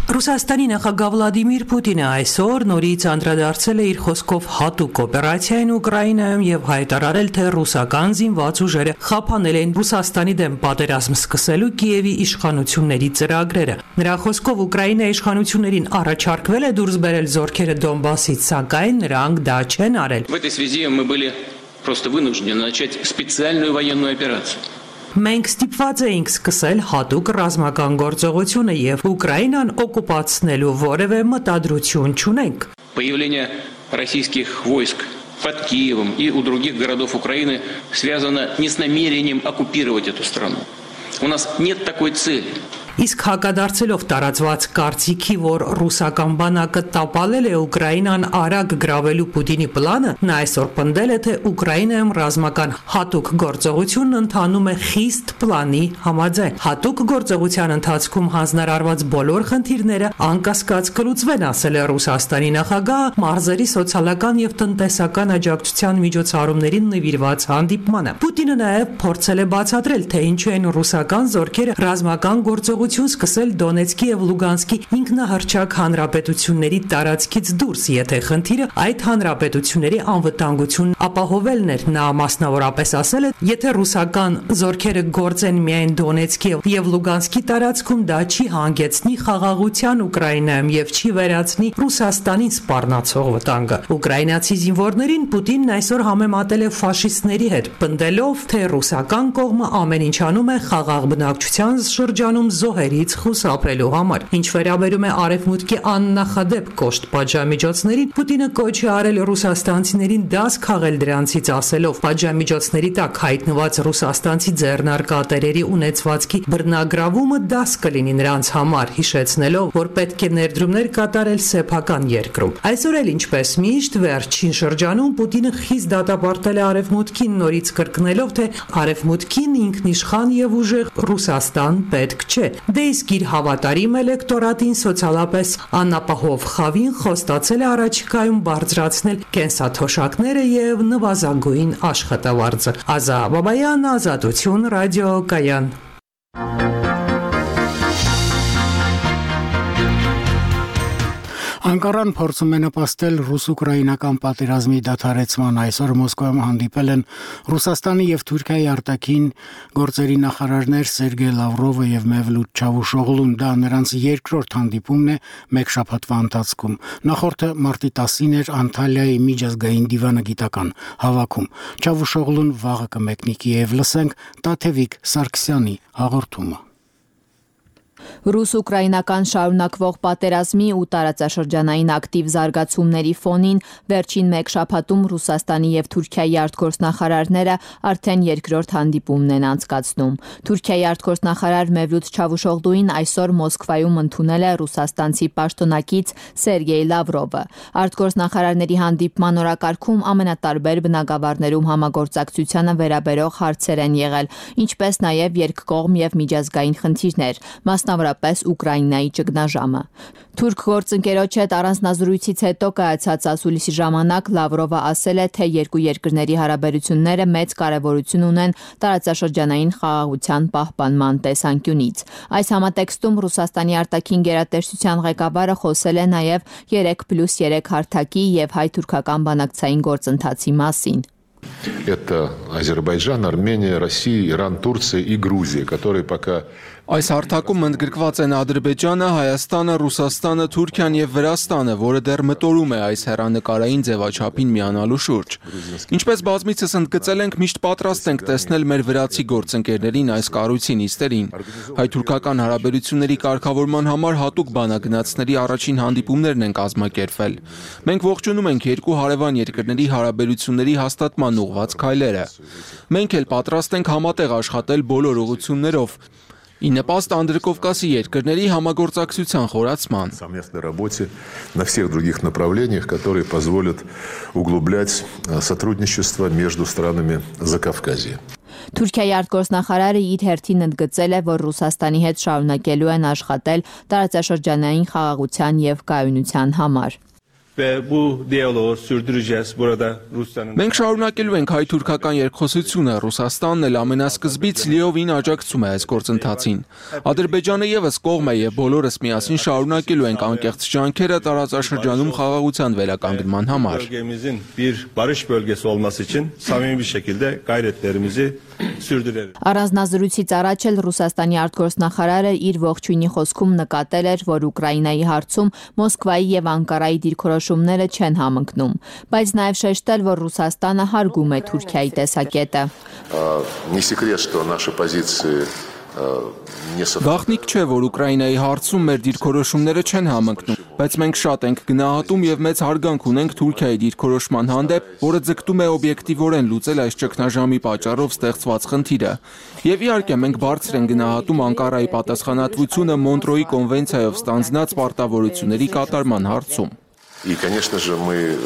C: Ռուսաստանի նախագահ Վլադիմիր Պուտինը այսօր նորից անդրադարձել է իր խոսքով հատուկ օպերացիային Ուկրաինայում եւ հայտարարել, թե ռուսական զինված ուժերը խափանել են Ռուսաստանի դեմ պատերազմ սկսելու Կիևի իշխանությունների ծրագրերը։ Նրա խոսքով Ուկրաինայի իշխանություններին առաջարկվել է դուրս բերել զորքերը Դոնբասից, սակայն նրանք դա չեն արել։
P: В этой связи мы были просто вынуждены начать специальную военную операцию.
C: Մենք ստիպված էինք սկսել հատուկ ռազմական գործողությունը եւ Ուկրաինան օկուպացնելու որևէ մտադրություն չունենք։
P: Появление российских войск под Киевом и у других городов Украины связано не с намерением оккупировать эту страну. У нас нет такой цели.
C: Իսկ հակադարձելով տարածված կարծիքի, որ ռուսական բանակը տապալել է Ուկրաինան արագ գրավելու Պուտինի պլանը, նա այսօր պնդել է, թե Ուկրաինայում ռազմական հատուկ գործողությունն ընթանում է խիստ պլանի համաձայն։ Հատուկ գործողության ընթացքում հանձնարարված բոլոր խնդիրները անկասկած կլուծվեն, ասել է Ռուսաստանի նախագահը մարզերի սոցիալական եւ տնտեսական աջակցության միջոցառումներին նվիրված հանդիպմանը։ Պուտինը նաեւ փորձել է բացատրել, թե ինչու են ռուսական զորքերը ռազմական գործողություն գործողություն սկսել Դոնեցկի եւ Լուգանսկի ինքնահռչակ հանրապետությունների տարածքից դուրս, եթե խնդիրը այդ հանրապետությունների անվտանգությունն ապահովելն էր։ Նա մասնավորապես ասել է, եթե ռուսական զորքերը գործեն միայն Դոնեցկի եւ Լուգանսկի տարածքում, դա չի հանգեցնի խաղաղության Ուկրաինայում եւ չի վերացնի Ռուսաստանին սպառնացող վտանգը։ Ուկրաինացի զինվորներին Պուտինն այսօր համեմատել է ֆաշիստների հետ, պնդելով, թե ռուսական կողմը ամեն ինչ անում է խաղաղ բնակչության շրջանում զոհերից խուսափելու համար։ Ինչ վերաբերում է Արևմուտքի աննախադեպ կոշտ պատժամիջոցներին, Պուտինը կոչ է արել ռուսաստանցիներին դաս քաղել դրանցից, ասելով, պատժամիջոցների տակ հայտնված ռուսաստանցի ձեռնարկատերերի ունեցվածքի բռնագրավումը դաս կլինի նրանց համար, հիշեցնելով, որ պետք է ներդրումներ կատարել սեփական երկրում։ Այսօր էլ ինչպես միշտ վերջին շրջանում Պուտինը խիստ դատապարտել է Արևմուտքին, նորից կրկնելով, թե Արևմուտքին ինքնիշխան եւ ուժեղ Ռուսաստան պետք չէ։ Դե իսկ իր հավատարիմ էլեկտորատին սոցիալապես անապահով խավին խոստացել է առաջիկայում բարձրացնել կենսաթոշակները եւ նվազագույն աշխատավարձը։ Ազա Բաբայան, Ազատություն, ռադիոկայան։
A: Անկարան փորձում է նպաստել ռուս-ուկրաինական պատերազմի դադարեցման։ Այսօր Մոսկվայում հանդիպել են Ռուսաստանի եւ Թուրքիայի արտաքին գործերի նախարարներ Սերգեյ Լավրովը եւ Մևլութ Չավուշօղլուն։ Դա նրանց երկրորդ հանդիպումն է մեկ շաբաթվա ընթացքում։ Նախորդը մարտի տասին էր Անտալիայի միջազգային դիվանագիտական հավաքում։ Չավուշօղլուն վաղը կմեկնի Կիև, լսենք Տաթևիկ Սարգսյանի հաղորդումը։
Q: Ռուս-ուկրաինական շարունակվող պատերազմի ու տարածաշրջանային ակտիվ զարգացումների ֆոնին վերջին մեկ շաբաթում Ռուսաստանի եւ Թուրքիայի արտգործնախարարները արդեն երկրորդ հանդիպումն են անցկացնում։ Թուրքիայի արտգործնախարար Մևլութ Չավուշօղլուին այսօր Մոսկվայում ընդունել է ռուսաստանցի պաշտոնակից Սերգեյ Լավրովը։ Արտգործնախարարների հանդիպման օրակարգում ամենատարբեր բնագավառներում համագործակցությանը վերաբերող հարցեր են եղել, ինչպես նաեւ երկկողմ եւ միջազգային խնդիրներ, մասնավորապես Ուկրաինայի ճգնաժամը։ Թուրք գործընկերոջ հետ առանձնազրույցից հետո կայացած ասուլիսի ժամանակ Լավրովը ասել է, թե երկու երկրների հարաբերությունները մեծ կարևորություն ունեն տարածաշրջանային խաղաղության պահպանման տեսանկյունից։ Այս համատեքստում Ռուսաստանի արտաքին գերատեսչության ղեկավարը խոսել է նաև երեք պլյուս երեք հարթակի եւ հայ-թուրքական բանակցային գործընթացի մասին։
R: Это Азербайджан, Армения, Россия, Иран, Турция и Грузия, которые пока
D: Այս հարթակում ընդգրկված են Ադրբեջանը, Հայաստանը, Ռուսաստանը, Թուրքիան եւ Վրաստանը, որը դեռ մտորում է այս հեռանկարային ձևաչափին միանալու շուրջ։ Ինչպես բազմիցս ընդգծել ենք, միշտ պատրաստ ենք տեսնել մեր վրացի գործընկերներին այս կառույցի նիստերին։ Հայ-թուրքական հարաբերությունների կարգավորման համար հատուկ բանագնացների առաջին հանդիպումներն են կազմակերպվել։ Մենք ողջունում ենք երկու հարևան երկրների հարաբերությունների հաստատման ուղղված քայլերը։ Մենք էլ պատրաստ ենք համատեղ աշխատել բոլոր ուղղություններով։ Ի նպաստ Անդրկովկասի երկրների համագործակցության խորացման։
R: Совместной работе на всех других направлениях, которые позволят углублять сотрудничество между странами Закавказья.
Q: Թուրքիայի արտգործնախարարը իր հերթին ընդգծել է, որ Ռուսաստանի հետ շարունակելու են աշխատել տարածաշրջանային խաղաղության եւ կայունության համար։
D: Մենք շարունակելու ենք հայ-թուրքական երկխոսությունը, Ռուսաստանն էլ ամենասկզբից լիովին աջակցում է այս գործընթացին։ Ադրբեջանը եւս կողմ է եւ բոլորս միասին շարունակելու ենք անկեղծ ջանքերը տարածաշրջանում խաղաղության վերականգնման համար։
Q: Առանձնազրույցից առաջ էլ Ռուսաստանի արտգործնախարարը իր ողջույնի խոսքում նկատել էր, որ Ուկրաինայի հարցում Մոսկվայի եւ Անկարայի դիրքորոշումները չեն համընկնում, բայց նաեւ շեշտել, որ Ռուսաստանը հարգում է Թուրքիայի տեսակետը։
R: Не секрет, что наши позиции
D: Գաղտնիք չէ, որ Ուկրաինայի հարցում մեր դիրքորոշումները չեն համընկնում, բայց մենք շատ ենք գնահատում եւ մեծ հարգանք ունենք Թուրքիայի դիրքորոշման հանդեպ, որը ձգտում է օբյեկտիվորեն լուծել այս ճգնաժամի պատճառով ստեղծված խնդիրը։ Եվ իհարկե մենք բարձր ենք գնահատում Անկարայի պատասխանատվությունը Մոնտրոյի կոնվենցիայով ստանձնած պարտավորությունների կատարման հարցում։
R: И, конечно же, мы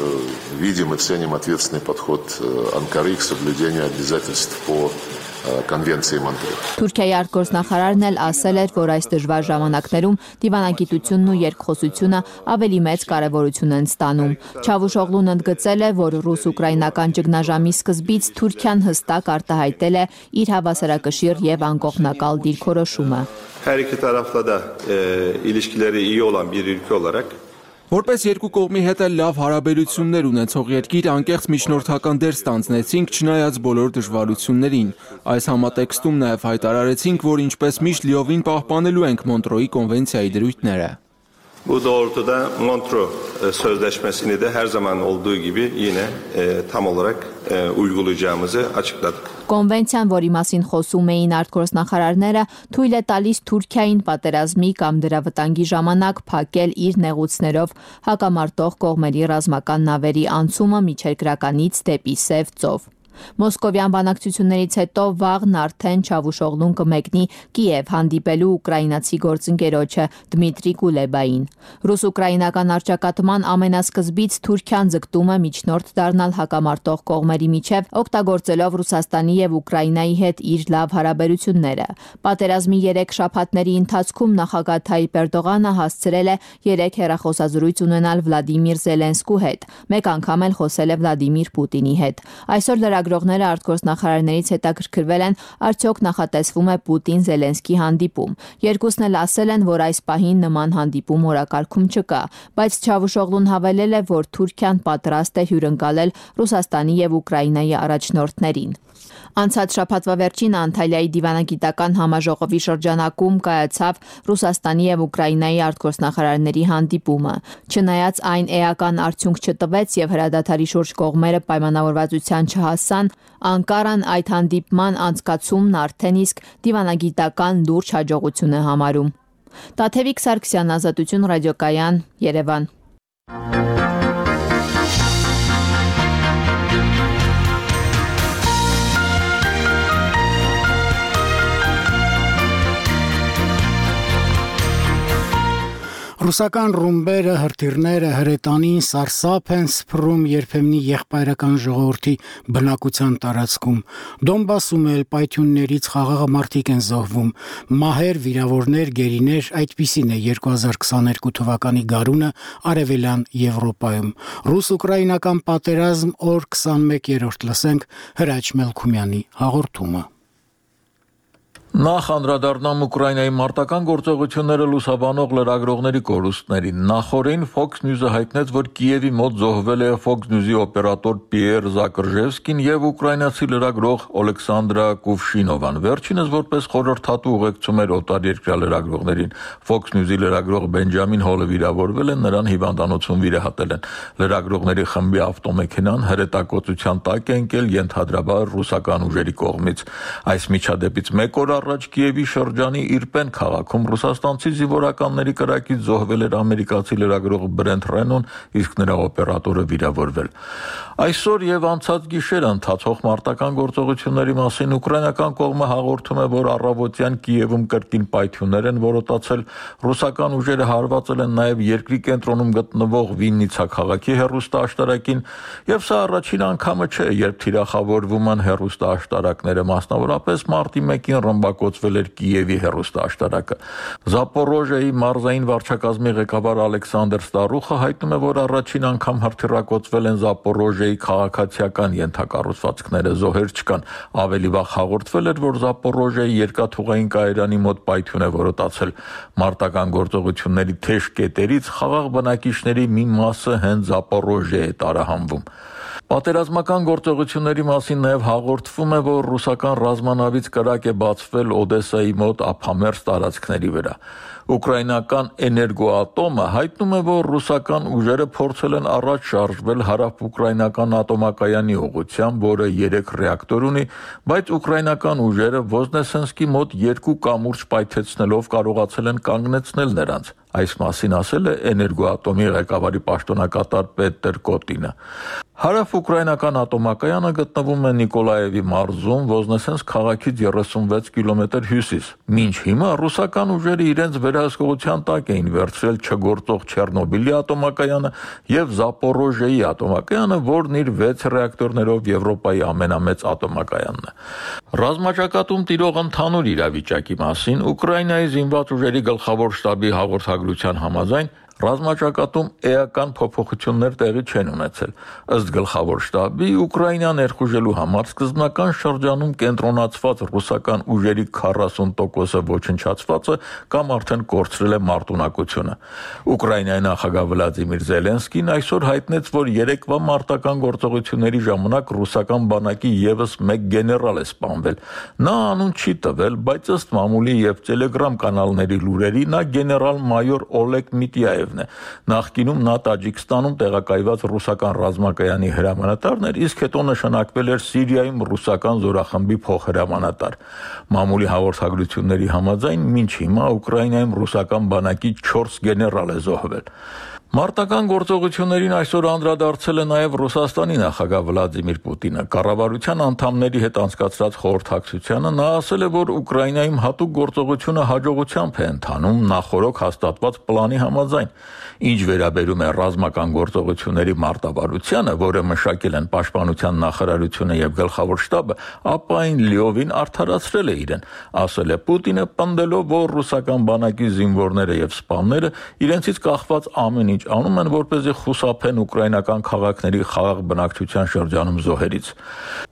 R: видим и ценим ответственный подход Анкары к соблюдению обязательств по Конвенции Монтреаля.
Q: Թուրքիայի արտգործնախարարն էլ ասել էր, որ այս դժվար ժամանակներում դիվանագիտությունն ու երկխոսությունը ավելի մեծ կարևորություն են ստանում։ Չավուշօղլուն ընդգծել է, որ ռուս-ուկրաինական ճգնաժամի սկզբից Թուրքիան հստակ արտահայտել է իր հավասարակշիռ եւ անկողմնակալ դիրքորոշումը։
S: Her iki tarafla da e, ilişkileri iyi olan bir ülke olarak
D: Որպես երկու կողմի հետ էլ լավ հարաբերություններ ունեցող երկիր անկեղծ միջնորդական դեր ստանձնեցինք չնայած բոլոր դժվարություններին։ Այս համատեքստում նաև հայտարարեցինք, որ ինչպես միշտ լիովին պահպանելու ենք Մոնտրոյի կոնվենցիայի դրույթները։
S: Bu doğrultuda Montreux Sözleşmesi'ni de her zaman olduğu gibi yine e, tam olarak e, uygulayacağımızı açıkladık.
Q: Կոնվենցիան, որի մասին խոսում էին արտգործնախարարները, թույլ է տալիս Թուրքիային պատերազմի կամ դրա վտանգի ժամանակ փակել իր նեղուցներով հակամարտող կողմերի ռազմական նավերի անցումը միջերկրականից դեպի Սև ծով։ Մոսկովյան բանակցություններից հետո վաղն արդեն Չավուշօղլուն կմեկնի Կիև հանդիպելու ուկրաինացի գործընկերոջը Դմիտրի Կուլեբային։ Ռուս-ուկրաինական առճակատման ամենասկզբից Թուրքիան ձգտում է միջնորդ դառնալ հակամարտող կողմերի միջև, օգտագործելով Ռուսաստանի եւ Ուկրաինայի հետ իր լավ հարաբերությունները։ Պատերազմի երեք շաբաթների ընթացքում նախագահ Թայիպ Էրդողանը հասցրել է երեք հեռախոսազրույց ունենալ Վլադիմիր Զելենսկու հետ։ Մեկ անգամ էլ խոսել է Վլադիմիր Պուտինի հետ։ Այսօր լրագրողները արտգործնախարարներից հետաքրքրվել են, արդյոք նախատեսվում է Պուտին-Զելենսկի հանդիպում։ Երկուսն էլ ասել են, որ այս պահին նման հանդիպում օրակարգում չկա, բայց Չավուշօղլուն հավելել է, որ Թուրքիան պատրաստ է հյուրընկալել Ռուսաստանի եւ Ուկրաինայի առաջնորդներին։ Անցած շաբաթվա վերջին Անտալիայի դիվանագիտական համաժողովի շրջանակում կայացավ Ռուսաստանի եւ Ուկրաինայի արտգործնախարարների հանդիպումը։ Չնայած այն էական արդյունք չտվեց եւ հրադադարի շուրջ կողմերը պայմանավորվածության չհասան, Անկարան այդ հանդիպման անցկացումն արդեն իսկ դիվանագիտական լուրջ հաջողություն է համարում։ Տաթևիկ Սարգսյան, Ազատություն ռադիոկայան, Երևան։
A: Ռուսական ռումբերը, հրթիռները, հրետանին սարսափ են սփռում երբեմնի եղբայրական ժողովրդի բնակության տարածքում։ Դոնբասում էլ պայթյուններից խաղաղ մարդիկ են զոհվում։ Մահեր, վիրավորներ, գերիներ, այդպիսին է երկու հազար քսաներկու թվականի գարունը Արևելյան Եվրոպայում։ Ռուս-ուկրաինական պատերազմ օր քսանմեկերորդ լսենք Հրաչ Մելքումյանի հաղորդումը։
T: Նախ անդրադառնամ Ուկրաինայի մարտական գործողությունները լուսաբանող լրագրողների կորուստներին։ Նախորդին Fox News-ը հայտնեց, որ Կիևի մոտ զոհվել է Fox News-ի օպերատոր Պիեր Զակրժևսկին եւ ուկրաինացի լրագրող Օլեքսանդրա Կուվշինովան։ Վերջինս որպես խորհրդատու ուղեկցում էր օտարերկրյա լրագրողներին։ Fox News-ի լրագրող Բենջամին Հոլը վիրավորվել է, նրան հիվանդանոցում վիրահատել են։ Լրագրողների խմբի ավտոմեքենան հրետակոծության տակ է ընկել ենթադրաբար ռուսական ուժերի կողմից։ Այս միջադեպից մեկ օր առաջ Կիևի շրջանի Իրպեն քաղաքում ռուսաստանցի զինվորականների կրակից զոհվել էր ամերիկացի լրագրող Բրենթ Ռենոն, իսկ նրա օպերատորը վիրավորվել։ Այսօր եւ անցած գիշեր ընթացող մարտական գործողությունների մասին ուկրաինական կողմը հաղորդում է, որ առավոտյան Կիևում կրկին պայթյուններ են որոտացել, ռուսական ուժերը հարվածել են նաեւ երկրի կենտրոնում գտնվող Վիննիցա քաղաքի հեռուստաաշտարակին, եւ սա առաջին անգամը չէ, երբ թիրախավորվում են հեռուստաաշտարակները, մասնավորապես մարտի մեկին ռմբակոծվել էր Կիևի հեռուստաաշտարակը։ Զապորոժիայի մարզային վարչակազմի ղեկավար Ալեքսանդր Ստարուխը հայտնում է, որ առաջին անգամ հրթիռակոծվել են Զապորոժիայի քաղաքացիական ենթակառուցվածքները, զոհեր չկան։ Ավելի վաղ հաղորդվել էր, որ Զապորոժիայի երկաթուղային կայարանի մոտ պայթյուն է որոտացել։ Մարտական գործողությունների թեժ կետերից խաղաղ բնակիչների մի մասը հենց Զապորոժիա է տարահանվում։ Պատերազմական գործողությունների մասին նաև հաղորդվում է, որ ռուսական ռազմանավից կրակ է բացվել Օդեսայի մոտ ափամերձ տարածքների վրա։ Ուկրաինական Էներգոատոմը հայտնում է, որ ռուսական ուժերը փորձել են առաջ շարժվել հարավ-ուկրաինական ատոմակայանի ուղղությամբ, որը երեք ռեակտոր ունի, բայց ուկրաինական ուժերը Ոզնեսենսկի մոտ երկու կամուրջ պայթեցնելով կարողացել են կանգնեցնել նրանց։ Այս մասին ասել է Էներգոատոմի ղեկավարի պաշտոնակատար Պետր Կոտինը։ Հարավ-ուկրաինական ատոմակայանը գտնվում է Նիկոլաևի մարզում, Ոզնեսենսկ քաղաքից երեսունվեց կիլոմետր հյուսիս։ Մինչ հիմա ռուսական ուժերը իրենց վերահսկողության տակ էին վերցրել չգործող Չեռնոբիլի ատոմակայանը եւ Զապորոժիեի ատոմակայանը, որն իր վեց ռեակտորներով Եվրոպայի ամենամեծ ատոմակայանն է։ Ռազմաճակատում տիրող ընդհանուր իրավիճակի մասին Ուկրաինայի զինված ուժերի գլխավոր շտաբի հաղորդագրության համաձայն ռազմաճակատում էական փոփոխություններ տեղի չեն ունեցել։ Ըստ գլխավոր շտաբի, Ուկրաինա ներխուժելու համար սկզբնական շրջանում կենտրոնացված ռուսական ուժերի քառասուն տոկոսը ոչնչացվածը կամ արդեն կորցրել է մարտունակությունը։ Ուկրաինայի նախագահ Վլադիմիր Զելենսկին այսօր հայտնեց, որ երեկվա մարտական գործողությունների ժամանակ ռուսական բանակի եւս մեկ գեներալ է սպանվել։ Նա անուն չի տվել, բայց ըստ մամուլի եւ Telegram կանալների լուրերի նա գեներալ-մայոր Օլեգ Միտյաև Նախկինում նա Տաջիկստանում տեղակայված ռուսական ռազմակայանի հրամանատարն էր, իսկ հետո նշանակվել էր Սիրիայում ռուսական զորախմբի փոխհրամանատար։ Մամուլի հաղորդագրությունների համաձայն մինչ հիմա Ուկրաինայում ռուսական բանակի չորս գեներալ է զոհվել։ Մարտական գործողություններին այսօր անդրադարձել է նաև Ռուսաստանի նախագահ Վլադիմիր Պուտինը։ Կառավարության անդամների հետ անցկացրած խորհրդակցությանը նա ասել է, որ Ուկրաինայում հատուկ գործողությունը հաջողությամբ է ընթանում նախորոք հաստատված պլանի համաձայն։ Ինչ վերաբերում է ռազմական գործողությունների մարտավարությանը, որը մշակել են Պաշտպանության նախարարությունը եւ գլխավոր շտաբը, ապա այն լիովին արդարացրել է իրեն, ասել է Պուտինը, պնդելով, որ ռուսական բանակի զինվորները եւ սպաները իրենցից կախված ամեն ինչ անում են, որպեսզի խուսափեն ուկրաինական քաղաքների խաղաղ բնակչության շրջանում զոհերից։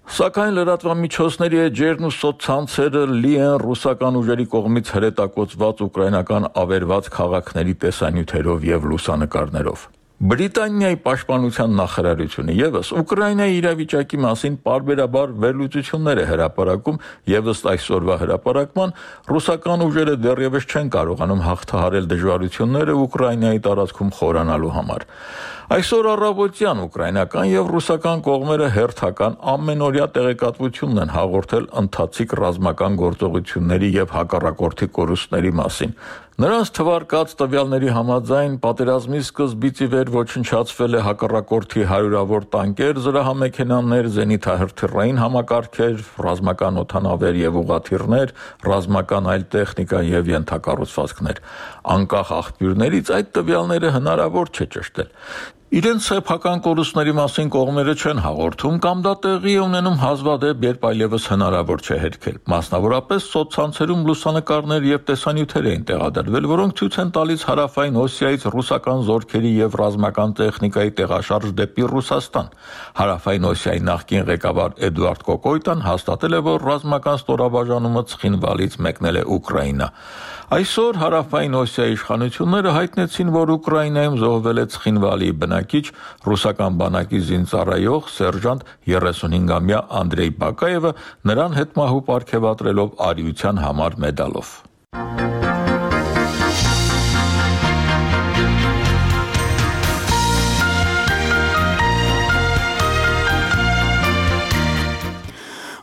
T: Սակայն լրատվամիջոցների էջերն ու սոցցանցերը լի են ռուսական ուժերի կողմից հրետակոծված ուկրաինական ավերված քաղաքների տեսանյութերով եւ լուսանկարներով։ Բրիտանիայի պաշտպանության նախարարությունը եւս Ուկրաինայի իրավիճակի մասին պարբերաբար վերլուծություններ է հրապարակում եւ ըստ այսօրվա հրապարակման ռուսական ուժերը դեռևս չեն կարողանում հաղթահարել դժվարությունները Ուկրաինայի տարածքում խորանալու համար։ Այսօր առավոտյան ուկրաինական եւ ռուսական կողմերը հերթական ամենօրյա տեղեկատվությունն են հաղորդել ընթացիկ ռազմական գործողությունների եւ հակառակորդի կորուստների մասին։ Նրանց թվարկած տվյալների համաձայն պատերազմի սկզբից ի վեր ոչնչացվել է հակառակորդի հարյուրավոր տանկեր, զրահամեքենաներ, զենիթահրթիռային համակարգեր, ռազմական օդանավեր եւ ուղղաթիռներ, ռազմական այլ տեխնիկա եւ ենթակառուցվածքներ։ Անկախ աղբյուրներից այդ տվյալները հնարավոր չէ ճշտել։ Իրենց սեփական կորուստների մասին կողմերը չեն հաղորդում կամ դա տեղի է ունենում հազվադեպ, երբ այլևս հնարավոր չէ հերքել։ Մասնավորապես սոցցանցերում լուսանկարներ եւ տեսանյութեր էին տեղադրվել, որոնք ցույց են տալիս հարավային Օսիայից ռուսական զորքերի եւ ռազմական տեխնիկայի տեղաշարժ դեպի Ռուսաստան։ Հարավային Օսիայի նախկին ղեկավար Էդուարդ Կոկոյտան հաստատել է, որ ռազմական ստորաբաժանումը Ցխինվալից մեկնել է Ուկրաինա։ Այսօր հարավային Օսիայի իշխանությունները հայտնեցին, որ Ուկրաինայում զոհվել է Ցխինվալի բնակիչ ռուսական բանակի զինծառայող սերժանտ երեսունհինգամյա Անդրեյ Բակաևը, նրան հետմահու պարգևատրելով արիության համար մեդալով։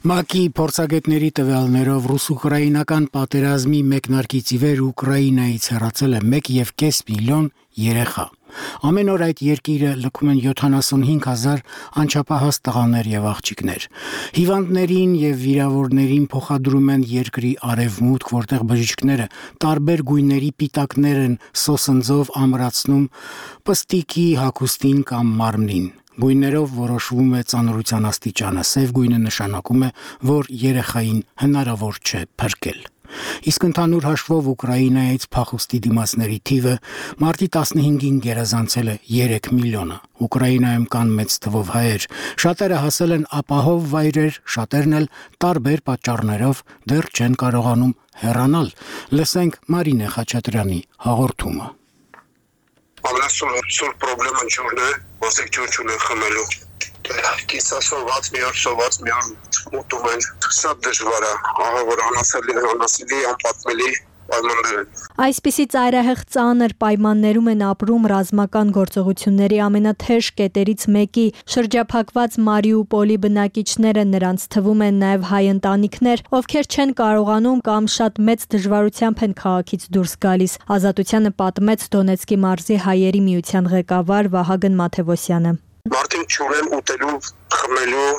A: ՄԱԿ-ի փորձագետների տվյալներով ռուս-ուկրաինական պատերազմի մեկնարկից ի վեր Ուկրաինայից հեռացել է մեկ եւ կես միլիոն երեխա։ Ամեն օր այդ երկիրը լքում են յոթանասունհինգ հազար անչափահաս տղաներ եւ աղջիկներ։ Հիվանդներին եւ վիրավորներին փոխադրում են երկրի արևմուտք, որտեղ բժիշկները տարբեր գույների պիտակներ են սոսնձով ամրացնում պստիկի հագուստին կամ մարմնին։ Գույներով որոշվում է ծանրության աստիճանը, սև գույնը նշանակում է, որ երեխային հնարավոր չէ փրկել։ Իսկ ընդհանուր հաշվով Ուկրաինայից փախուստի դիմացների թիվը մարտի տասնհինգին գերազանցել է երեք միլիոնը։ Ուկրաինայում կան մեծ թվով հայեր, շատերը հասել են ապահով վայրեր, շատերն էլ տարբեր պատճառներով դեռ չեն կարողանում հեռանալ։ Լսենք Մարինե Խաչատրյանի հաղորդումը։
U: Ամենասուր պրոբլեմը ջուրն է, ոսեք ջուր չունեն խմելու։ Կիսասոված մի օր, սոված մի օր ուտում են, շատ դժվար է, ահա որ անասելի, անասելի, անպատմելի պայմաններ են։
V: Այսպիսի ծայրահեղ ծանր պայմաններում են ապրում ռազմական գործողությունների ամենաթեժ կետերից մեկի շրջափակված Մարիուպոլի բնակիչները, նրանց թվում են նաև հայ ընտանիքներ, ովքեր չեն կարողանում կամ շատ մեծ դժվարությամբ են քաղաքից դուրս գալիս։ Ազատությանը պատմեց Դոնեցկի մարզի հայերի միության ղեկավար Վահագն Մաթևոսյանը։
U: Մարտին չունեն ուտելու, խմելու,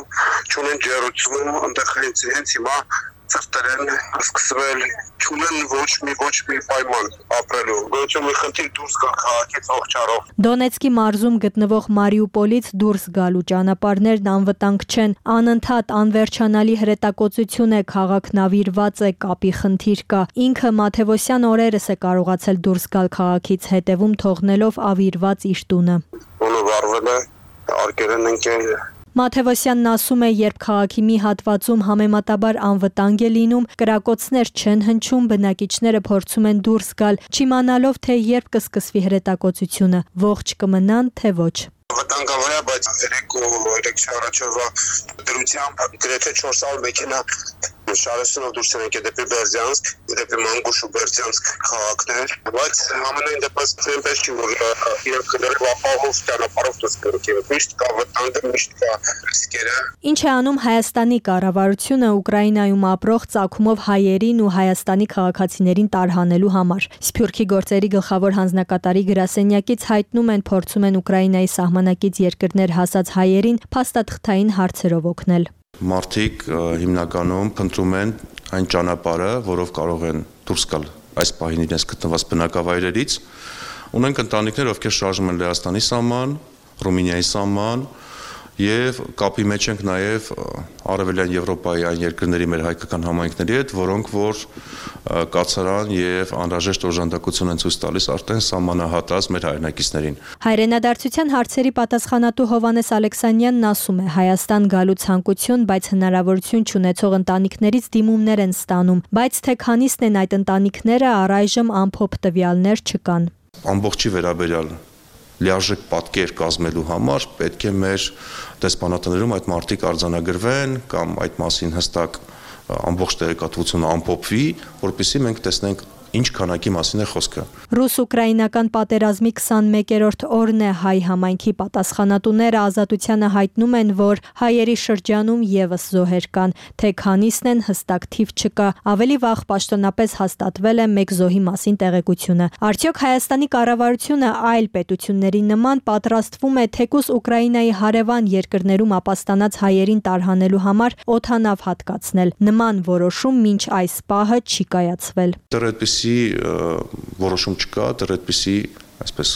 U: չունեն ջերուցում, այնտեղ հենց հենց հիմա ծրտերեն սկսվել, չունեն ոչ մի ոչ մի պայման ապրելու, ոչ մի խնդիր դուրս գալ քաղաքից ողջարով։
V: Դոնեցկի մարզում գտնվող Մարիուպոլից դուրս գալու ճանապարհներն անվտանգ չեն, անընդհատ անվերջանալի հրետակոծություն է, քաղաքն ավիրված է, կապի խնդիր կա։ Ինքը Մաթևոսյան օրերս է կարողացել դուրս գալ քաղաքից, հետևում թողնելով ավիրված իր տունը։
U: Ունը վարվել է, արկերեն ընկել
V: Մաթևոսյանն ասում է, երբ քաղաքի մի հատվածում համեմատաբար անվտանգ է լինում, կրակոցներ չեն հնչում, բնակիչները փորձում են դուրս գալ, չիմանալով, թե երբ կսկսվի հրետակոծությունը, ողջ կմնան, թե ոչ։
U: Վտանգավոր է, բայց երեկո երեքշաբթի առաջվա դրությամբ գրեթե չորս հազար մեքենա շարժելով դուրս են եկել դեպի Բերձյանսկ, դեպի Մանգուշ ու Բերձյանսկ քաղաքներ, բայց ամենայն դեպս այնպես չի, որ իրենք կներով ապահով ճանապարհով դուրս գնան։ Միշտ կա վտանգը, միշտ կա ռիսկերը։
V: Ինչ է անում Հայաստանի կառավարությունը Ուկրաինայում ապրող ծագումով հայերին ու Հայաստանի քաղաքացիներին տարհանելու համար։ Սփյուռքի գործերի գլխավոր հանձնակատարի գրասենյակից հայտնում են, փորձում են Ուկրաինայի սահմանակից երկրներ հասած հայերին փաստաթղթային հարցերով օգնել։
B: Մարդիկ հիմնականում փնտրում են այն ճանապարհը, որով կարող են դուրս գալ այս պահին իրենց գտնված բնակավայրերից։ Ունենք ընտանիքներ, ովքեր շարժում են Լեհաստանի սահման, Ռումինիայի սահման եւ կապի մեջ ենք նաեւ Արևելյան Եվրոպայի այն երկրների մեր հայկական համայնքների հետ, որոնք որ կացարան եւ անհրաժեշտ օժանդակություն են ցույց տալիս արդեն սահմանահատած մեր հայրենակիցներին։
V: Հայրենադարձության հարցերի պատասխանատու Հովանես Ալեքսանյանն ասում է, Հայաստան գալու ցանկություն, բայց հնարավորություն չունեցող ընտանիքներից դիմումներ են ստանում, բայց թե քանիսն են այդ ընտանիքները, առայժմ ամփոփ տվյալներ չկան։
B: Ամբողջի վերաբերյալ լիարժեք պատկեր կազմելու համար պետք է մեր դեսպանատներում այդ մարտիկ արձանագրվեն կամ այդ մասին հստակ ամբողջ տեղեկատվությունը ամփոփվի, որպեսզի մենք տեսնենք ինչ քանակի մասին է խոսքը։
V: Ռուս-ուկրաինական պատերազմի քսանմեկերորդ օրն է, հայ համայնքի պատասխանատուները Ազատությանը հայտնում են, որ հայերի շրջանում եւս զոհեր կան, թե քանիսն են հստակ թիվ չկա, ավելի վաղ պաշտոնապես հաստատվել է մեկ զոհի մասին տեղեկությունը։ Արդյոք Հայաստանի կառավարությունը այլ պետությունների նման պատրաստվում է թեկուզ Ուկրաինայի հարևան երկրներում ապաստանած հայերին տարհանելու համար օդանավ հատկացնել։ Նման որոշում մինչ այս պահը չի կայացվել։
B: Որոշում չկա, դեռ այդպիսի այսպես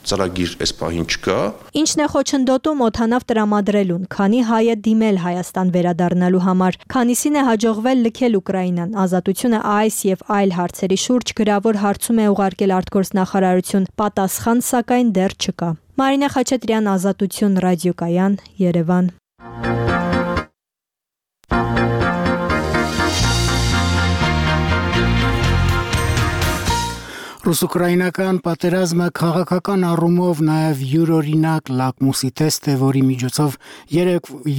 B: ծրագիր այս պահին չկա։
V: Ինչն է խոչընդոտում օդանավ տրամադրելուն, քանի հայ է դիմել Հայաստան վերադառնալու համար, քանիսին է հաջողվել լքել Ուկրաինան։ Ազատությունը այս եւ այլ հարցերի շուրջ գրավոր հարցում է ուղարկել արտգործնախարարություն, պատասխան սակայն դեռ չկա։ Մարինա Խաչատրյան, Ազատություն, Ռադիոկայան, Երևան։
A: Ռուս-ուկրաինական պատերազմը քաղաքական առումով նաև յուրօրինակ լակմուսի տեստ է, որի միջոցով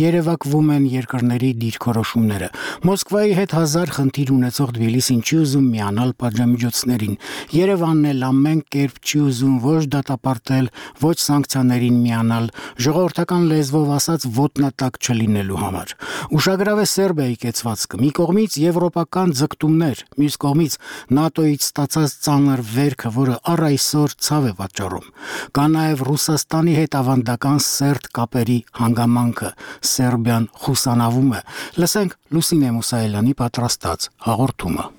A: երևակվում են երկրների դիրքորոշումները։ Մոսկվայի հետ հազար խնդիր ունեցող Թբիլիսին չի ուզում միանալ պատժամիջոցներին։ Երևանն էլ ամեն կերպ չի ուզում ոչ դատապարտել, ոչ սանկցիաներին միանալ, ժողովրդական լեզվով ասած ոտնատակ չլինելու համար։ Ուշագրավ է Սերբիայի կեցվածքը։ Մի կողմից եվրոպական ձգտումներ, մյուս կողմից ՆԱՏՕ-ից ստացած ծանր վերքը, որը առ այսօր ցավ է պատճառում։ Կա նաև Ռուսաստանի հետ ավանդական սերտ կապերի հանգամանքը, Սերբիան խուսանավում է։ Լսենք Լուսինե Մուսայելյանի պատրաստած հաղորդումը։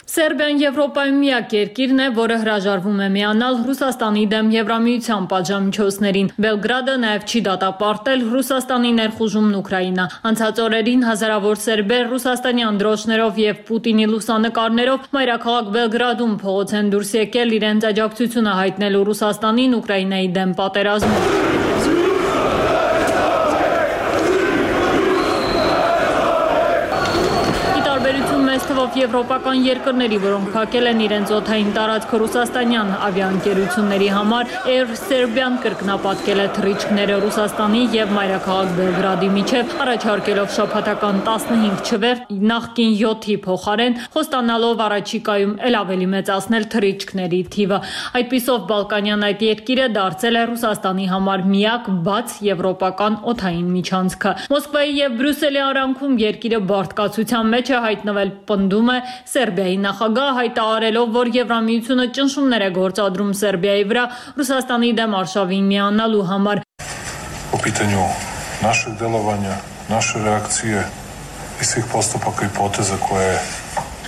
E: Սերբիան Եվրոպայում միակ երկիրն է, որը հրաժարվում է միանալ Ռուսաստանի դեմ Եվրամիության պատժամիջոցներին։ Բելգրադը նաև չի դատապարտել Ռուսաստանի ներխուժումն Ուկրաինա։ Անցած օրերին հազարավոր սերբեր ռուսաստանյան դրոշներով եւ Պուտինի լուսանկարներով մայրաքաղաք Բելգրադում փողոց են դուրս եկել իրենց աջակցությունը հայտնելու Ռուսաստանին Ուկրաինայի դեմ պատերազմում։ Թվով եվրոպական երկրների, որոնք փակել են իրենց օդային տարածքը ռուսաստանյան ավիաընկերությունների համար, Air Serbian կրկնապատկել է թռիչքները Ռուսաստանի եւ մայրաքաղաք Բելգրադի միջև, առաջարկելով շաբաթական տասնհինգ չվեր նախկին յոթի փոխարեն, խոստանալով առաջիկայում ել ավելի մեծացնել թռիչքների թիվը։ Այդպիսով Բալկանյան այդ երկիրը դարձել է Ռուսաստանի համար միակ բաց եվրոպական օդային միջանցքը։ Մոսկվայի եւ Բրյուսելի արանքում երկիրը բարդկացության մեջ է հայտնվել, պնդում է Սերբիայի նախագահ, հայտարարելով, որ
F: питанию наших делования, нашей реакции и всех поступок и гипотезы, кое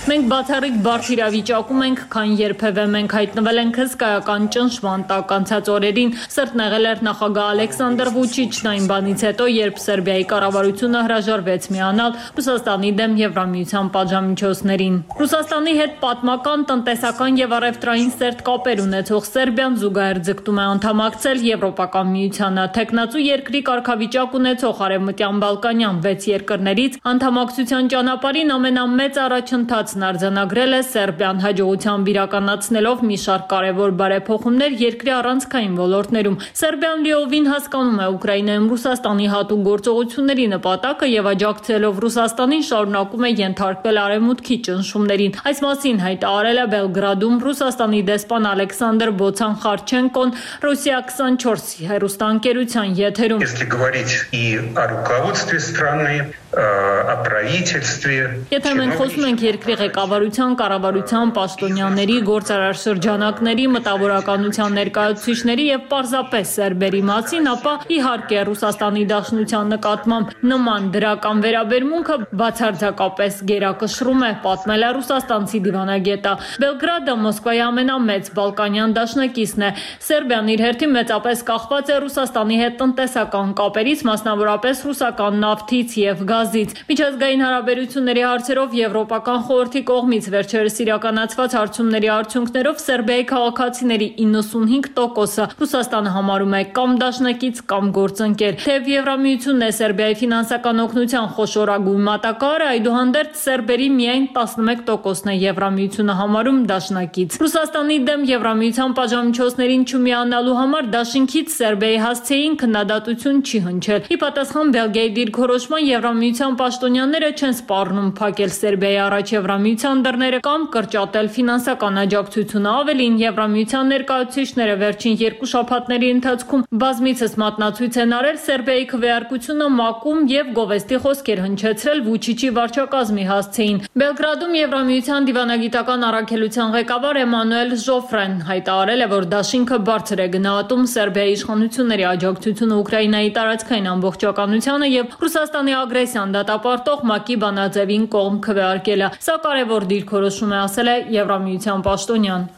E: Մենք բացառիկ բարդ իրավիճակում ենք, քան երբևէ մենք հայտնվել ենք հսկայական ճնշման տակ անցած օրերին, սրտնեղել էր նախագահ Ալեքսանդր Վուչիչն այն բանից հետո, երբ Սերբիայի կառավարությունը հրաժարվեց միանալ Ռուսաստանի դեմ Եվրամիության պատժամիջոցներին։ Ռուսաստանի հետ պատմական, տնտեսական եւ առևտրային սերտ կապեր ունեցող Սերբիան զուգահեռ ձգտում է անդամակցել Եվրոպական միությանը։ Տեխնացու երկրի կարգավիճակ ունեցող Արևմտյան Բալկանյան վեց երկրներից անդամակցության ճանապարհին ամենամեծ առաջընթաց արձանագրել է Սերբիան հաջողությամբ իրականացնելով մի շարք կարևոր բարեփոխումներ երկրի առանցքային ոլորտներում։ Սերբիան լիովին հասկանում է Ուկրաինայում Ռուսաստանի հատուկ գործողությունների նպատակը եւ աջակցելով Ռուսաստանին շարունակում է ենթարկվել արևմուտքի ճնշումներին։ Այս մասին հայտարարել է Բելգրադում Ռուսաստանի դեսպան Ալեքսանդր Բոցան Խարչենկոն Ռուսիա twenty-four հեռուստաընկերության եթերում։
J: Если говорить и о руководстве страны, о правительстве,
E: Եթե մենք խոսում ենք երկրի ղեկավարության, կառավարության, պաշտոնյաների, գործարար շրջանակների, մտավորականության ներկայացուցիչների եւ պարզապես սերբերի մասին, ապա իհարկե Ռուսաստանի Դաշնության նկատմամբ նման դրական վերաբերմունքը բացարձակապես գերակշռում է, պատմել է ռուսաստանցի դիվանագետը։ Բելգրադը Մոսկվայի ամենամեծ բալկանյան դաշնակիցն է։ Սերբիան իր հերթին մեծապես կախված է Ռուսաստանի հետ տնտեսական կապերից, մասնավորապես ռուսական նավթից եւ գազից։ Միջազգային հարաբերությունների հարցերով Եվրոպական խորհրդի կողմից վերջերս իրականացված հարցումների արդյունքներով Սերբիայի քաղաքացիների ninety-five տոկոսը Ռուսաստանը համարում է կամ դաշնակից կամ գործընկեր։ Թեև Եվրամիությունն է Սերբիայի ֆինանսական օգնության խոշորագույն մատակարարը, այդուհանդերձ սերբերի միայն eleven տոկոսն է Եվրամիությունը համարում դաշնակից։ Ռուսաստանի դեմ Եվրամիության պատժամիջոցներին չմիանալու համար դաշինքից Սերբիայի հասցեին քննադատություն չի հնչել։ Ի պատասխան Բելգիայի դիրքորոշման Եվրամիության պաշտոնյաները չեն սպառնում փակել Սերբիայի առաջ Եվրամիության դռները կամ կրճատել ֆինանսական աջակցությունը։ Ավելին, Եվրամիության ներկայացուցիչները վերջին երկու շաբաթների ընթացքում բազմիցս մատնացույց են արել Սերբիայի քվեարկությունը մակում եւ գովեստի խոսքեր հնչեցրել Վուչիչի վարչակազմի հասցեին։ Բելգրադում Եվրամիության դիվանագիտական առաքելության ղեկավար Էմանուել Ժոֆրեն հայտարարել է, որ դաշինքը բարձր է գնահատում Սերբիայի իշխանությունների աջակցությունը Ուկրաինայի տարածքային ամբողջականությանը եւ Ռուսաստանի ագրեսիան դատապարտող ՄԱԿ-ի բանաձևին կողմ քվեարկելը։ Սա կարևոր դիրքորոշում է, ասել է Եվրամիության պաշտոնյան։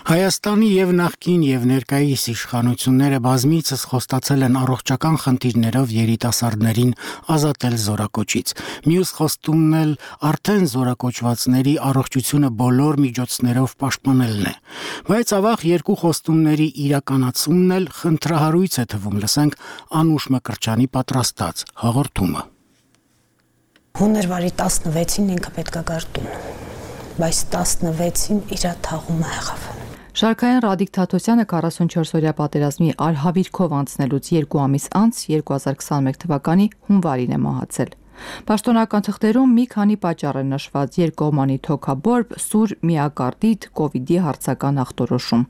A: Հայաստանի եւ նախկին եւ ներկայիս իշխանությունները բազմիցս խոստացել են առողջական խնդիրներով երիտասարդներին ազատել զորակոչից։ Մյուս խոստումն էլ արդեն զորակոչվածների առողջությունը բոլոր միջոցներով պաշտպանելն է։ Բայց ավաղ երկու խոստումների իրականացումն էլ խնդրահարույց է թվում, լսենք Անուշ Մկրտչյանի պատրաստած հաղորդումը։
W: Հունվարի տասնվեցին ինքը պետք է գար տուն, բայց տասնվեցին իր թաղումը եղավ։
X: Շարքային Ռադիկ Թաթոսյանը forty-four-օրյա պատերազմի արհավիրքով անցնելուց երկու ամիս անց twenty twenty-one թվականի հունվարին է մահացել։ Պաշտոնական թղթերում մի քանի պատճառ են նշված՝ երկկողմանի թոքաբորբ, սուր միակարդիտ, կովիդի հարցական ախտորոշում։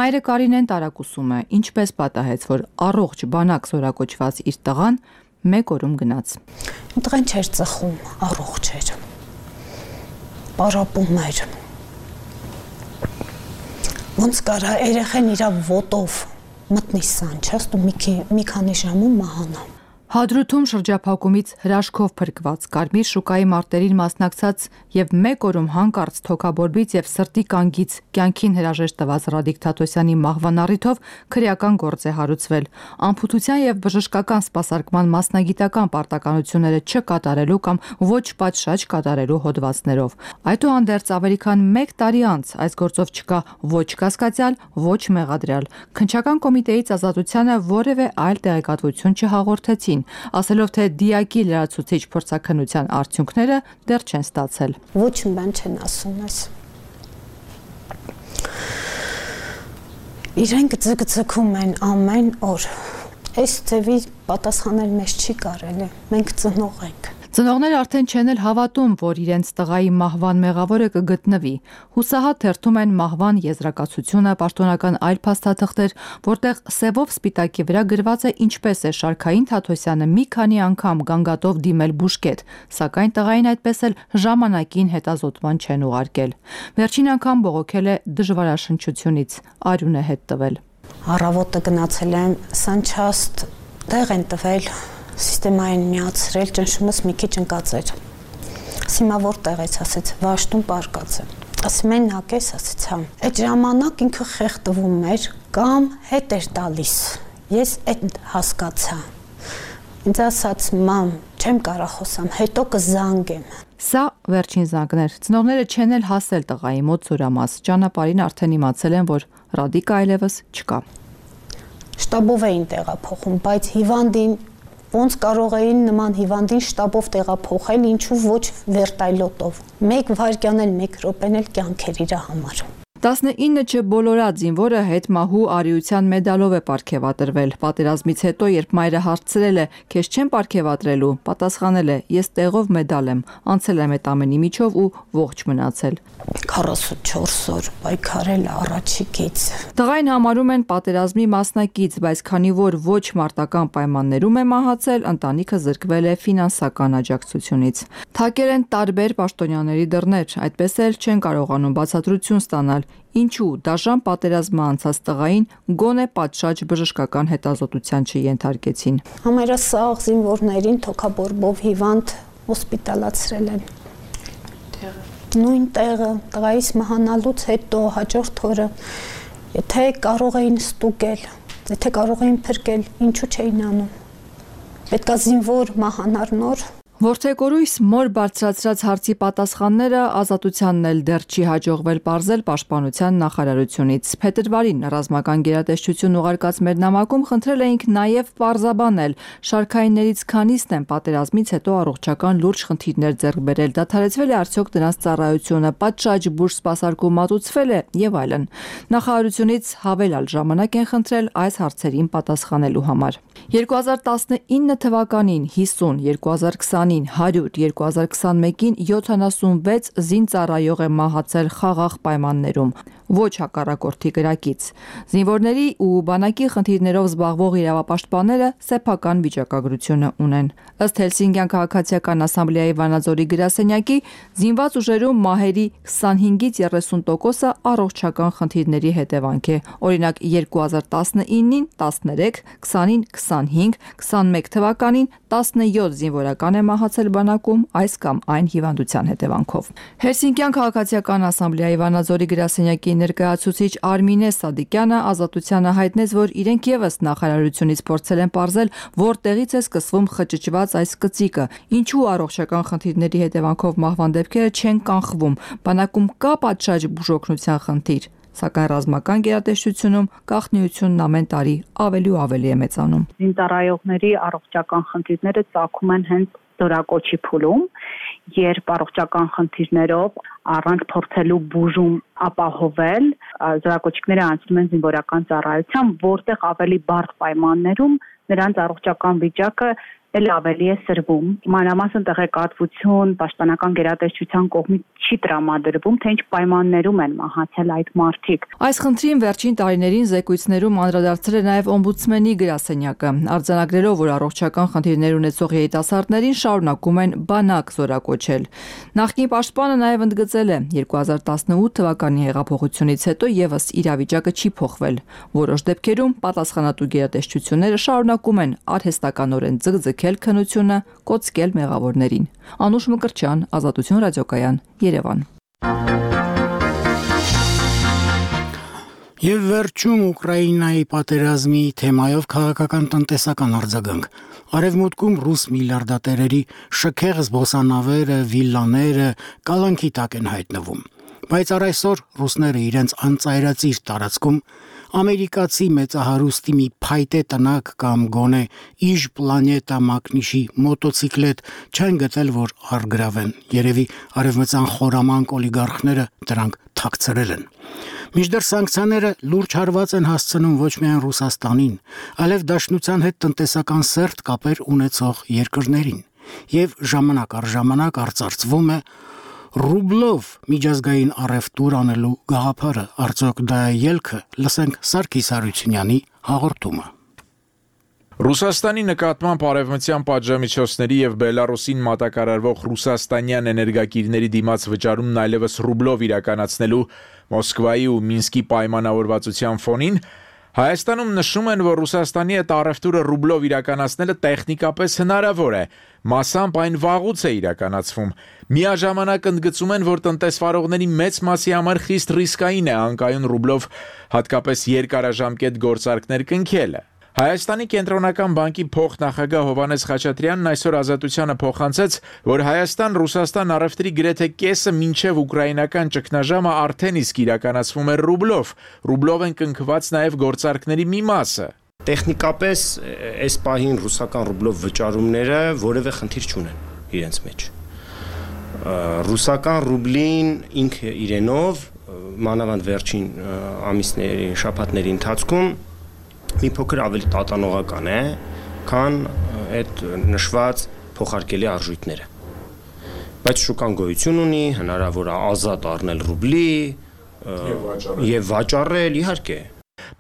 X: Մայրը Կարինեն տարակուսում է, ինչպես պատահեց, որ առողջ բանակ զորակոչված իր տղան մեկ օրում գնաց։
W: Տղան չէր ծխում, առողջ էր։ Պարապում էր։ Ոնց կարա երեխեն իրա ոտով մտնի սանչաստ ու մի քանի ժամում մահանա։
X: Հադրութում շրջափակումից հրաշքով փրկված Կարմիր շուկայի մարտերին մասնակցած եւ մեկ օրում հանկարծ թոքաբորբից եւ սրտի կանգից կյանքին հրաժեշտ տված Ռադիկ Թաթոսյանի մահվան առիթով քրեական գործ է հարուցվել։ Ամփոփության եւ բժշկական սպասարկման մասնագիտական պարտականությունները չկատարելու կամ ոչ պատշաճ կատարելու հոդվածներով։ Այդուհանդերձ ավելի քան մեկ տարի անց այս գործով չկա ոչ կասկածյալ, ոչ մեղադրյալ։ Քննչական կոմիտեից ազատությանը որևէ այլ տեղեկատվություն չհաղորդեցին, ասելով թե դիակի լրացուցիչ փորձաքննության արդյունքները դեռ չեն ստացել։
W: Ոչ մի բան չեն ասում այս։ Իրենք ձգձգում են ամեն օր։ Այս ձևի պատասխանել մեզ չի կարելի։ Մենք ծնող ենք։
X: Ծնողները արդեն չեն էլ հավատում, որ իրենց տղայի մահվան մեղավորը կգտնվի։ Հուսահատ թերթում են մահվան եզրակացությունը, պաշտոնական այլ փաստաթղթեր, որտեղ սևով սպիտակի վրա գրված է ինչպես է Շարքային Թաթոսյանը մի քանի անգամ գանգատով դիմել բուժկետ, սակայն տղային այդպես էլ ժամանակին հետազոտման չեն ուղարկել։ Վերջին անգամ բողոքել է դժվարաշնչությունից, արյուն է հետ տվել։
W: Առավոտը գնացել եմ Սանչաստ, տեղ են տվել, սիստեմային միացրել, ճնշումս մի քիչ ընկած էր։ Հիմա որտեղ ես, ասեց, Վաշտում պարկած եմ։ Ասում են նակես, ասեց, հա։ Այդ ժամանակ ինքը խեղդվում էր կամ հետ էր տալիս։ Ես այդ հասկացա։ Ինձ ասաց, մամ, չեմ կարող խոսամ, հետո կզանգեմ։
X: Սա վերջին զանգն էր։ Ծնողները չեն էլ հասել տղայի մոտ Սուրամաս։ Ճանապարհին արդեն իմացել են, որ Ռադիկը այլևս չկա։
W: Շտաբով էին տեղափոխում, բայց հիվանդին ոնց կարող էին նման հիվանդին շտաբով տեղափոխել, ինչու ոչ վերտայլոտով։ Մեկ վայրկյան էլ, մեկ րոպեն էլ կյանք էր իր համար։
X: տասնինը չբոլորած զինվորը հետմահու արիության մեդալով է պարգևատրվել։ Պատերազմից հետո, երբ մայրը հարցրել է, քեզ չեն պարգևատրելու, պատասխանել է, ես տեղով մեդալ եմ, անցել եմ այդ ամենի միջով ու ողջ մնացել։
W: քառասունչորս օր պայքարել առաջիկից։
X: Տղային համարում են պատերազմի մասնակից, բայց քանի որ ոչ մարտական պայմաններում է մահացել, ընտանիքը զրկվել է ֆինանսական աջակցությունից։ Թակել են տարբեր պաշտոնյաների դռներ, այդպես էլ չեն կարողանում բացատրություն ստանալ, ինչու դաժան պատերազմը անցած տղային գոնե պատշաճ բժշկական հետազոտության չենթարկեցին։
W: Համերասաղ զինվորներին թոքաբորբով հիվանդ հոսպիտալացրել են։ Նույն տեղը տղայիս մահանալուց հետո հաջորդ օրը, եթե կարող էին ստուգել, եթե կարող էին փրկել, ինչու չէին անում։ Պետք է զինվոր մահանար նոր։
X: Որդեկորույս մոր բարձրացրած հարցի պատասխանները ազատությանն էլ դեռ չի հաջողվել պարզել պաշտպանության նախարարությունից։ Փետրվարին ռազմական գերատեսչություն ուղարկած մեր նամակում խնդրել էինք նաև պարզաբանել շարքայիններից քանիսն են պատերազմից հետո առողջական լուրջ խնդիրներ ձեռք բերել, դադարեցվել է արդյոք դրանց ծառայությունը, պատշաճ բուժ սպասարկում մատուցվել է եւ այլն։ Նախարարությունից հավելյալ ժամանակ են խնդրել այս հարցերին պատասխանելու համար։ երկու հազար տասնինը թվականին հիսուն, երկու հազար քսանին հարյուր, երկու հազար քսանմեկին յոթանասունվեց զինծառայող է մահացել խաղաղ պայմաններում, ոչ հակառակորդի կրակից։ Զինվորների ու բանակի խնդիրներով զբաղվող իրավապաշտպանները սեփական վիճակագրությունը ունեն։ Ըստ Հելսինկյան քաղաքացիական ասամբլեայի Վանաձորի գրասենյակի, զինված ուժերում մահերի քսանհինգից երեսուն տոկոսը առողջական խնդիրների հետևանք է։ Օրինակ երկու հազար տասնինին տասներեք, քսանին քսանհինգ, քսանմեկ թվականին տասնյոթ զինվորական է մահացել բանակում այս կամ այն հիվանդության հետևանքով։ Հելսինկյան քաղաքացիական ասամբլեայի Վանաձորի գրասենյակի ներկայացուցիչ Արմինե Սադիկյանը ազատությանը հայտնեց, որ իրենք եւս նախարարությունից փորձել են պարզել, որտեղից է սկսվում խճճված այս կծիկը, ինչու առողջական խնդիրների հետևանքով մահվան դեպքերը չեն կանխվում, բանակում կա պատշաճ բուժօգնության խնդիր, սակայն ռազմական գերատեսչությունում գաղտնիությունն ամեն տարի ավելի ու ավելի է մեծանում։
H: Զինծառայողների առողջական խնդիրները ծագում են հենց դորակոչի փուլում, երբ առողջական խնդիրներով առանց փորձելու բուժում ապահովել, զորակոչիկները անցնում են զինվորական ծառայության, որտեղ ավելի բարդ պայմաններում նրանց առողջական վիճակը էլ ավելի է սրվում։ Մանրամասն տեղեկատվություն պաշտպանական գերատեսչության կողմից չի տրամադրվում, թե ինչ պայմաններում են մահացել այդ մարդիկ։
X: Այս խնդրին վերջին տարիներին զեկույցներում անդրադարձել է նաև օմբուդսմենի գրասենյակը, արձանագրելով, որ առողջական խնդիրներ ունեցող երիտասարդներին շարունակում են բանակ զորակոչել։ Նախկին պաշտպանը նաև ընդգծել է, երկու հազար տասնութ թվականի հեղափոխությունից հետո եւս իրավիճակը չի փոխվել։ Որոշ դեպքերում պատասխանատու գերատեսչությունները շարունակում են արհեստականորեն ձգձգել քննությունը, կոծկել մեղավորներին։ Անուշ Մկրտչյան, Ազատություն ռադիոկայան, Երևան։
A: Եվ վերջում Ուկրաինայի պատերազմի թեմայով քաղաքական տնտեսական արձագանք։ Արևմուտքում ռուս միլիարդատերերի շքեղ զբոսանավերը, վիլլաները կալանքի տակ են հայտնվում։ Բայց առ այսօր ռուսները իրենց անծայրածիր տարածքում ամերիկացի մեծահարուստի մի փայտե տնակ կամ գոնե իժ պլանետա մակնիշի մոտոցիկլետ չեն գտել, որ առգրավեն։ Երևի արևմտյան խորամանկ օլիգարխները դրանք թաքցրել են։ Մինչդեռ սանկցիաները լուրջ հարված են հասցնում ոչ միայն Ռուսաստանին, այլև Դաշնության հետ տնտեսական սերտ կապեր ունեցող երկրներին։ եւ ժամանակ առ ժամանակ արծարծվում է ռուբլով միջազգային առևտուր անելու գաղափարը, արդյոք դա է ելքը, լսենք Սարգիս Հարությունյանի հաղորդումը։
I: Ռուսաստանի նկատմամբ արևմտյան պատժամիջոցների եւ Բելարուսին մատակարարվող ռուսաստանյան էներգակիրների դիմաց վճարումն այլևս ռուբլով իրականացնելու Մոսկվայի ու Մինսկի պայմանավորվածության ֆոնին Հայաստանում նշում են, որ Ռուսաստանի հետ առևտուրը ռուբլով իրականացնելը տեխնիկապես հնարավոր է, մասամբ այն վաղուց է իրականացվում։ Միաժամանակ ընդգծում են, որ տնտեսվարողների մեծ մասի համար խիստ ռիսկային է անկայուն ռուբլով հատկապես երկարաժամկետ գործարքներ կնքելը։ Հայաստանի կենտրոնական բանկի փոխնախագահ Հովհաննես Խաչատրյանն այսօր Ազատությանը փոխանցեց, որ Հայաստան-Ռուսաստան առևտրի գրեթե կեսը մինչև ուկրաինական ճգնաժամը արդեն իսկ իրականացվում է ռուբլով։ Ռուբլով են կնքված նաև գործարքների մի մասը։
K: Տեխնիկապես այս պահին ռուսական ռուբլով վճարումները որևէ խնդիր չունեն իրենց մեջ։ Ռուսական ռուբլին ինքը իրենով մանավանդ վերջին ամիսների, շաբաթների ընթացքում մի փոքր ավելի տատանողական է, քան այդ նշված փոխարկելի արժույթները։ Բայց շուկան գոյություն ունի, հնարավոր է ազատ առնել ռուբլի եւ վաճառել, իհարկե։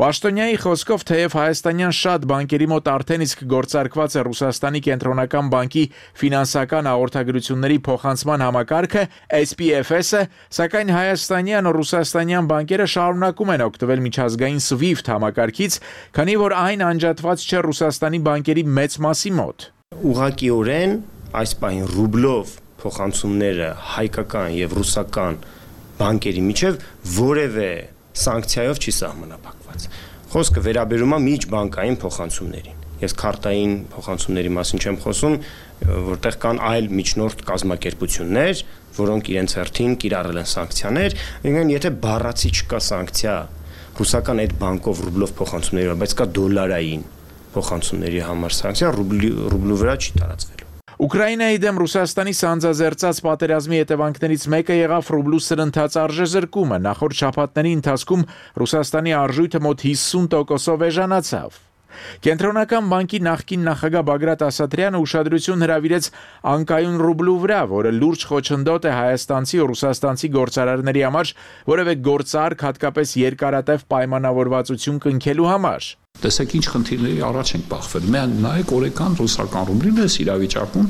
I: Պաշտոնյայի խոսքով թեև հայաստանյան շատ բանկերի մոտ արդեն իսկ գործարկված է Ռուսաստանի կենտրոնական բանկի ֆինանսական հաղորդագրությունների փոխանցման համակարգը S P F S-ը, սակայն հայաստանյան ու ռուսաստանյան բանկերը շարունակում են օգտվել միջազգային SWIFT համակարգից, քանի որ այն անջատված չէ Ռուսաստանի բանկերի մեծ մասի մոտ։
K: Ուղղակիորեն այս պահին ռուբլով փոխանցումները հայկական եւ ռուսական բանկերի միջև որևէ սանկցիայով չի սահմանափակված։ Խոսքը վերաբերում է միջբանկային փոխանցումներին։ Ես քարտային փոխանցումների մասին չեմ խոսում, որտեղ կան այլ միջնորդ կազմակերպություններ, որոնք իրենց հերթին կիրառել են սանկցիաներ, ինքն եթե բառացի չկա սանկցիա ռուսական այդ բանկով ռուբլով փոխանցումների, բայց կա դոլարային փոխանցումների համար սանկցիա, ռուբլի ռուբլու վրա չի տարածվելու։
I: Ուկրաինայի դեմ Ռուսաստանի սանձազերծած պատերազմի հետևանքներից մեկը եղավ ռուբլու սրընթաց արժեզրկումը։ Նախորդ շաբաթների ընթացքում Ռուսաստանի արժույթը մոտ հիսուն տոկոսով էժանացավ։ Կենտրոնական բանկի նախկին նախագահ Բագրատ Ասատրյանը ուշադրություն հրավիրեց անկայուն ռուբլու վրա, որը լուրջ խոչընդոտ է հայաստանցի ու ռուսաստանցի գործարարների համար որևէ գործարք, հատկապես երկարատև պայմանավորվածություն կնքելու համար։
L: Տեսեք ինչ խնդիրների առաջ ենք բախվել։ Միայն նայեք օրական ռուսական ռուբլին էս իրավիճակում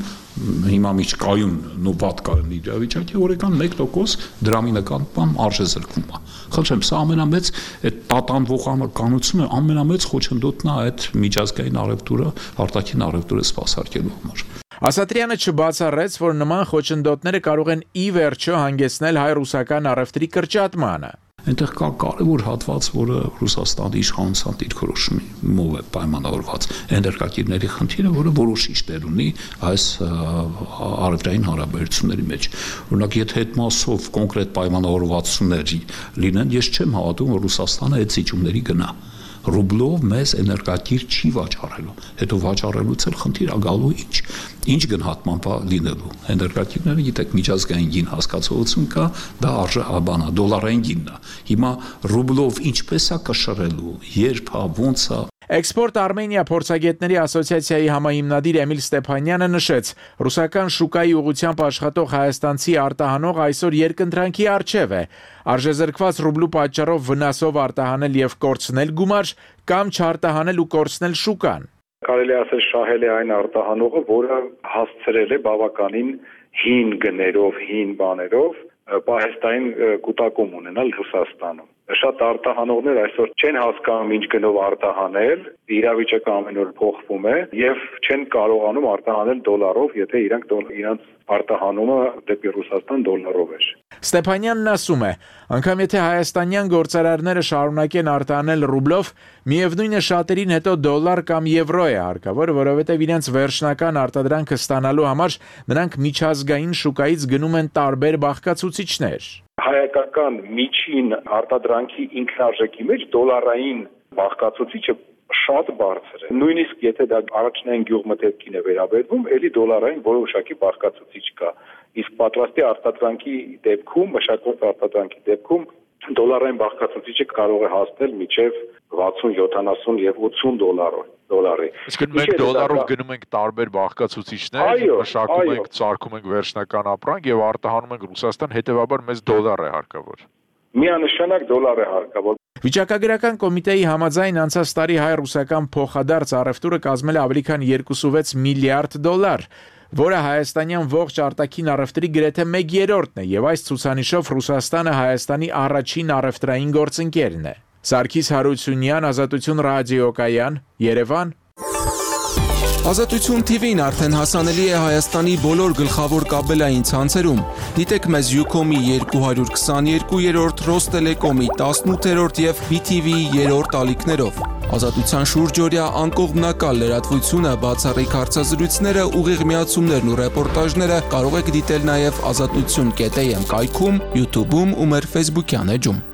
L: հիմա միջկայուն նո պատկան իրավիճակի օրական մեկ տոկոս դրամի նկատմամբ արժեզրկվում է։ Խնդրեմ, սա ամենամեծ այդ տատանվողականությունը ամենամեծ խոչընդոտն է այդ միջազգային առևտուրը, արտաքին առևտուրը սպասարկելու համար։
I: Ասատրյանը չբացառեց, որ նման խոչընդոտները կարող են ի վերջո հանգեցնել հայ-ռուսական առևտրի կրճատմանը։
L: Այնտեղ կա կարևոր հատված, որը Ռուսաստանի իշխանության դիրքորոշումով է պայմանավորված, էներգակիրների խնդիրը, որը որոշիչ դեր ունի այս առևտրային հարաբերությունների մեջ։ Օրինակ, եթե այդ մասով կոնկրետ պայմանավորվածություններ լինեն, ես չեմ հավատում, որ Ռուսաստանը այդ զիջումների գնա։ Ռուբլով մեզ էներգակիր չի վաճառելու, հետո վաճառելուց էլ խնդիր ագալու ինչ, ինչ գնահատման լինելու։ Էներգակիրները, գիտեք, միջազգային գին հասկացողություն կա, դա արժե բանա, դոլարային գինն է։ Հիմա ռուբլով ինչպես է կշռելու, երբ է, ոնց է։
I: Էքսպորտ Արմենիա փորձագետների ասոցիացիայի համահիմնադիր Էմիլ Ստեփանյանը նշեց. ռուսական շուկայի ուղղությամբ աշխատող հայաստանցի արտահանող այսօր երկընտրանքի առջև է։ Արժեզրկված ռուբլու պատճառով վնասով արտահանել եւ կորցնել գումար կամ չարտահանել ու կորցնել շուկան։
M: Կարելի ասել շահել է այն արտահանողը, որը հասցրել է բավականին հին գներով, հին բաներով պահեստային կուտակում ունենալ Ռուսաստանում։ Շատ արտահանողներ այսօր չեն հասկանում ինչ գնով արտահանել, իրավիճակը ամեն օր փոխվում է եւ չեն կարողանում արտահանել դոլարով, եթե իրանք իրանք արտահանումը դեպի Ռուսաստան դոլարով էր։
I: Ստեփանյանն ասում է, անգամ եթե հայաստանյան գործարարները շարունակեն արտահանել ռուբլով, միևնույնը շատերին հետո դոլար կամ եվրո է հարկավոր, որովհետև իրենց վերջնական արտադրանքը ստանալու համար նրանք միջազգային շուկայից գնում են տարբեր բաղկացուցիչներ։
M: Հայկական միջին արտադրանքի ինքնարժեքի մեջ դոլարային բաղկացուցիչը շատ բարձր է։ Նույնիսկ եթե դա առաջնային գյուղմթերքին է վերաբերվում, ելի դոլարային որոշակի բաղկացուցիչ կա։ Իսկ պատրաստի արտադրանքի դեպքում, մշակված արտադրանքի դեպքում դոլարային բաղկացուցիչը կարող է հասնել մինչև վաթսուն, յոթանասուն եւ ութսուն դոլարով դոլարի։
I: Իսկ մենք դոլարով գնում ենք տարբեր բաղկացուցիչներ, մշակում ենք, ծարքում ենք վերջնական ապրանք եւ արտահանում ենք Ռուսաստան, հետեւաբար մեզ դոլար է հարկավոր։
M: Միանշանակ դոլար է հարկավոր։
I: Վիճակագրական կոմիտեի համաձայն անցած տարի հայ-ռուսական փոխադարձ առևտուրը կազմել է ավելի քան երկուսուվեց միլիարդ դոլար, որը հայաստանյան ողջ արտաքին առևտրի գրեթե մեկ երրորդն է, եւ այս ցուցանիշով Ռուսաստանը Հայաստանի առաջին առևտրային գործընկերն է։ Սարգիս Հարությունյան, Ազատություն ռադիոկայան, Երևան։
D: Ազատություն թիվին արդեն հասանելի է Հայաստանի բոլոր գլխավոր կաբելային ցանցերում։ Դիտեք մեզ Ucom-ի երկու հարյուր քսաներկուերորդ, Ռոստելեկոմի տասնութերորդ եւ B T V-ի երրորդ ալիքներով։ Ազատության շուրջօրյա անկողմնակալ լրատվությունը, բացառիկ հարցազրույցները, ուղիղ միացումներն ու ռեպորտաժները կարող եք դիտել նաեւ ազատություն կետ a m կայքում, YouTube-ում ու մեր Facebook-յան էջում։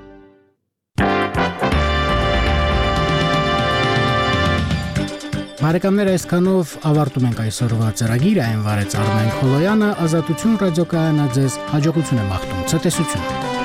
A: Բարեկամներ, այսքանով ավարտում ենք այսօրվա ծրագիրը, այն վարեց Արմեն Խոլոյանը, Ազատություն ռադիոկայանը ձեզ հաջողություն է մաղթում, ցտեսություն։